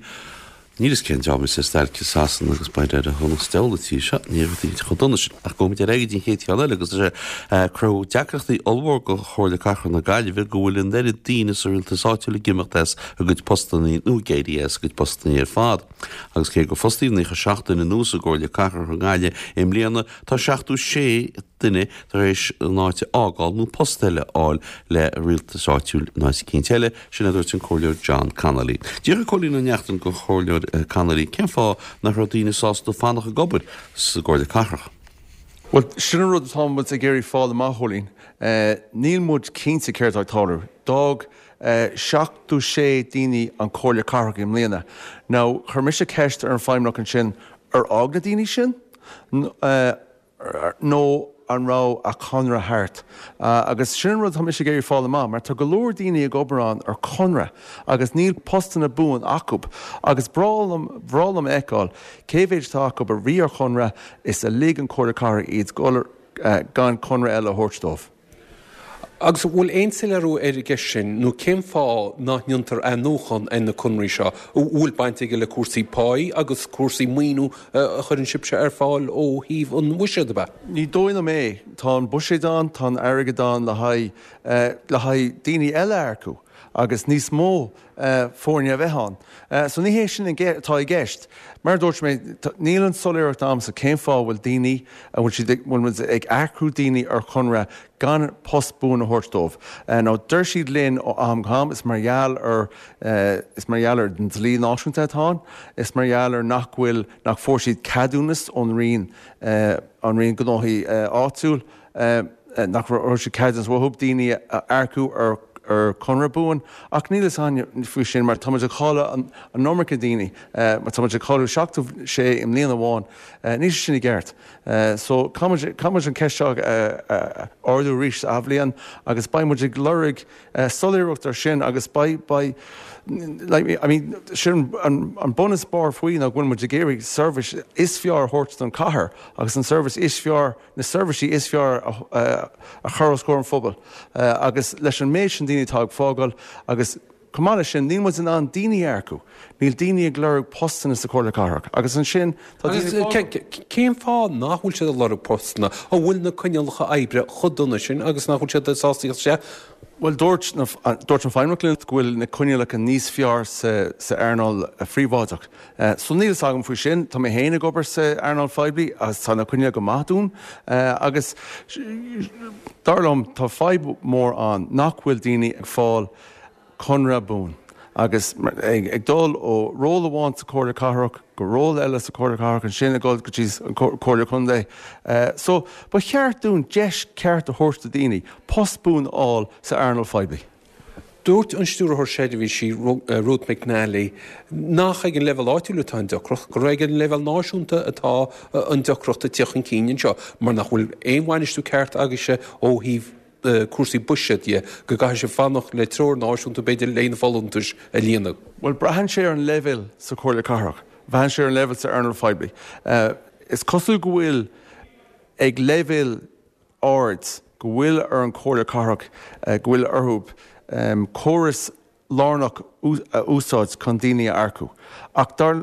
Níl fhios cén dream is ag stailc i Sasana agus b'fhéidir ar shonas diabhal an tír seo, ní raibh daoine chomh dona sin. Ach gabhfaidh muid ar aghaidh go dtí an chéad cheann eile agus tá sé ag cruthú deacrachtaí ollmhór do Chomhairle Cathrach na Gaillimhe go bhfuil an oiread daoine sa rialtas áitiúil ag imeacht as a gcuid postannaí nó ag éirí as a gcuid postannaí ar fad. Agus cé gur fostaíodh 97 duine nua sa gComhairle Cathrach i nGaillimh i mbliana, tá 76 duine tar éis an áit a fhágáil nó post eile a fháil le rialtas áitiúil in áit eicínt eile, sin a dúirt an Comhairleoir John Connolly. D'fhiafraigh Cóilín Ó Neachtain den Chomhairleoir Connolly cén fáth nach raibh daoine sásta fanacht ag obair sa gComhairle Cathrach. Bhuel, sin an rud atá muid ag iarraidh fáil amach, Chóilín. Níl muid cinnte céard atá ag tarlú. D'fhág 76 daoine an Comhairle Cathrach i mbliana. Now, chuir mise ceist ar an Feidhmeannach ansin, ar fhág na daoine sin? nó an raibh a conradh thart? Agus sin an rud atá mise ag iarraidh fáil amach, mar tá go leor daoine ag obair ann ar conradh agus níl postanna buan acu. Agus breá liom, bhreá liom a fheiceáil cé mhéid atá acu a bhí ar chonradh is a lig an Comhairle Cathrach iad dul gan conradh eile a thabhairt dóibh. Agus an bhfuil aon soiléiriú ar an gceist sin, nó cén fáth nach ndéantar athnuachan ar na conraí seo? An bhfuil baint aige le cúrsaí páí agus cúrsaí maoiniú a chuireann sibhse ar fáil ó thaobh an bhuiséid, ab ea? Ní dóigh liom é. Tá an buiséad ann, tá an airgead ann le haghaidh le haghaidh daoine eile a earcú agus níos mó foirne a bheith ann. So ní hé sin atá i gceist. Mar a dúirt mé, níl an soiléireacht agamsa cén fáth a bhfuil daoine, a bhfuil siad, bhfuil muid ag earcú daoine ar chonradh gan post buan a thabhairt dóibh. Now deir siad linn ó am go ham, is mar gheall ar, is mar gheall ar an dlí náisiúnta atá ann, is mar gheall ar nach bhfuil, nach bhfuair siad ceadúnas ón Roinn, an Roinn Gnóthaí Áitiúil, nach raibh siad ceadúnas uathu daoine a earcú ar chonradh buan ach níl fhios againn faoi sin mar tá muid ag cailleadh an iomarca daoine, mar tá muid ag cailleadh 76 i mbliain amháin, níl sé sin i gceart. So caithfidh muid an ceist seo a ardú arís sa athbhliain agus beidh muid ag lorg soiléireacht ar sin agus beidh, beidh, like, I mean, sin an bun is barr faoi ná go bhfuil muid ag iarraidh seirbhís is fearr a thabhairt don chathair agus an seirbhís is fearr na seirbhísí is fearr a chur os comhair an phobail agus leis an méid sin daoine atá ag fágáil agus chomh maith leis sin níl muid in ann daoine a earcú, níl daoine ag lorg postanna sa Chomhairle Cathrach agus ansin tá daoine ag fágáil. Cén fáth nach bhfuil siad ag lorg postanna? An bhfuil na coinníollacha oibre chomh dona sin agus nach bhfuil siad sásta íoc isteach? Bhuel dúirt dúirt an Feidhmeannach linn go bhfuil na coinníollacha níos fearr sa sa earnáil phríobháideach. So níl fhios agam faoi sin. Tá mé féin ag obair sa earnáil phoiblí agus tá na coinníollacha go maith dúinn. Agus dar liom tá fadhb mhór ann nach bhfuil daoine ag fáil conradh buan agus ag dul ó ról amháin sa Chomhairle Cathrach go ról eile sa Chomhairle Cathrach ansin ag dul go dtí an Comhairle Contae. So ba cheart dúinn deis ceart a thabhairt do daoine post buan a fháil sa earnáil phoiblí. Dúirt an Stiúrthóir Seirbhísí, Ruth McNally, nach ag an leibhéal áitiúil atá an deacracht, gur ag an leibhéal náisiúnta atá an deacracht ag tíocht chun cinn anseo mar nach bhfuil aon bhainistiú ceart agaibhse ó thaobh cúrsaí buiséid dhe, go gcaithfidh sibh fanacht le treoir náisiúnta b'fhéidir le na folúntais a líonadh. Bhuel, braitheann sé ar an leibhéal sa Chomhairle Cathrach, braitheann sé ar an leibhéal sa earnáil phoiblí. Is cosúil go bhfuil ag leibhéal ard, go bhfuil ar an Chomhairle Cathrach, go bhfuil orthu córas lárnach a úsáid chun daoine a earcú. Ach dar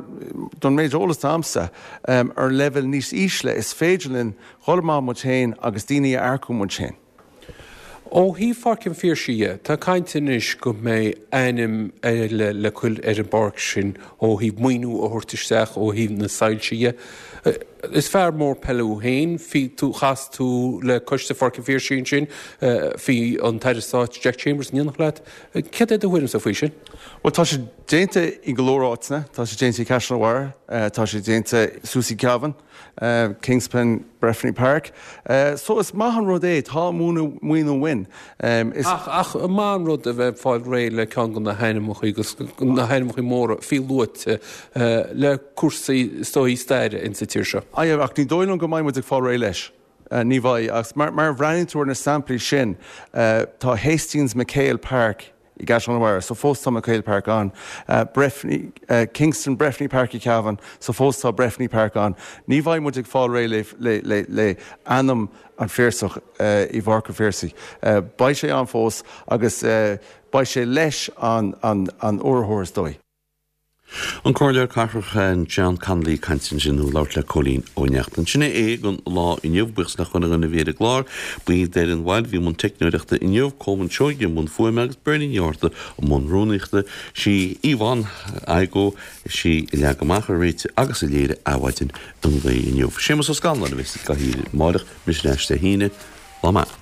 don méid eolas atá a'msa, ar leibhéal níos ísle is féidir linn dhul amach muid féin agus daoine a earcú muid féin. Ó thaobh Pháirc an Phiarsaigh dhe, tá caint anois go mbeidh ainm eile le cur ar an bpáirc sin ó thaobh maoiniú a thabhairt isteach ó thaobh na soilse dhe. Is fear mór peile thú féin, bhí tú, chas tú le coiste Pháirc an Phiarsaigh ansin, bhí an tAire Stáit Jack Chambers in éineacht leat. Céard é do thuairimse faoi sin? Bhuel, tá sé déanta i go leor áiteanna, tá sé déanta i gCaisleán an Bharraigh, tá sé déanta suas i gCeamhain. Kingspan Breffni Park. So is maith an rud é, tá maoiniú uainn. Is. Ach, ach maith an rud a bheith ag fáil réidh le ceann de na hainmneacha agus na hainmneacha móra fiú luaite le cúrsaí is dóigh staire insa tír seo. Aye, ach ní dóigh liom go mbeidh muid ag fáil réidh leis. Ní bheidh. Agus mar, mar a bhreathnaíonn tú ar na samplaí sin, tá Hastings MacHale Park i gCaisleán an Bharraigh, so fós tá MacHale Park ann. Breffni, Kingston Breffni Park i Cavan, so fós tá Breffni Park ann. Ní bheidh muid ag fáil réidh le, le, le, le ainm an Phiarsach i bPáirc an Phiarsaigh. Beidh sé ann fós agus beidh sé leis an, an, an urraitheoir is dóigh. An Comhairleoir Cathrach John Connolly ag caint ansin nó ag labhairt le Cóilín Ó Neachtain. Sin é é don lá inniu. Buíochas le chuile dhuine a bhí ar an gclár. Buí d'Fhoireann Bhaile a bhí i mbun teicneoireachta inniu, Colman Seoighe i mbun fuaime agus Bernie Ní Fhátharta i mbun rúnaíochta. Sí Yvonne Igoe, sí a leag amach, a réitigh agus a léirigh Adhmhaidin an lae inniu. Séamus Ó Scanláin a bheas i gcathaoir amáireach, mise ar ais Dé hAoine. Lá maith.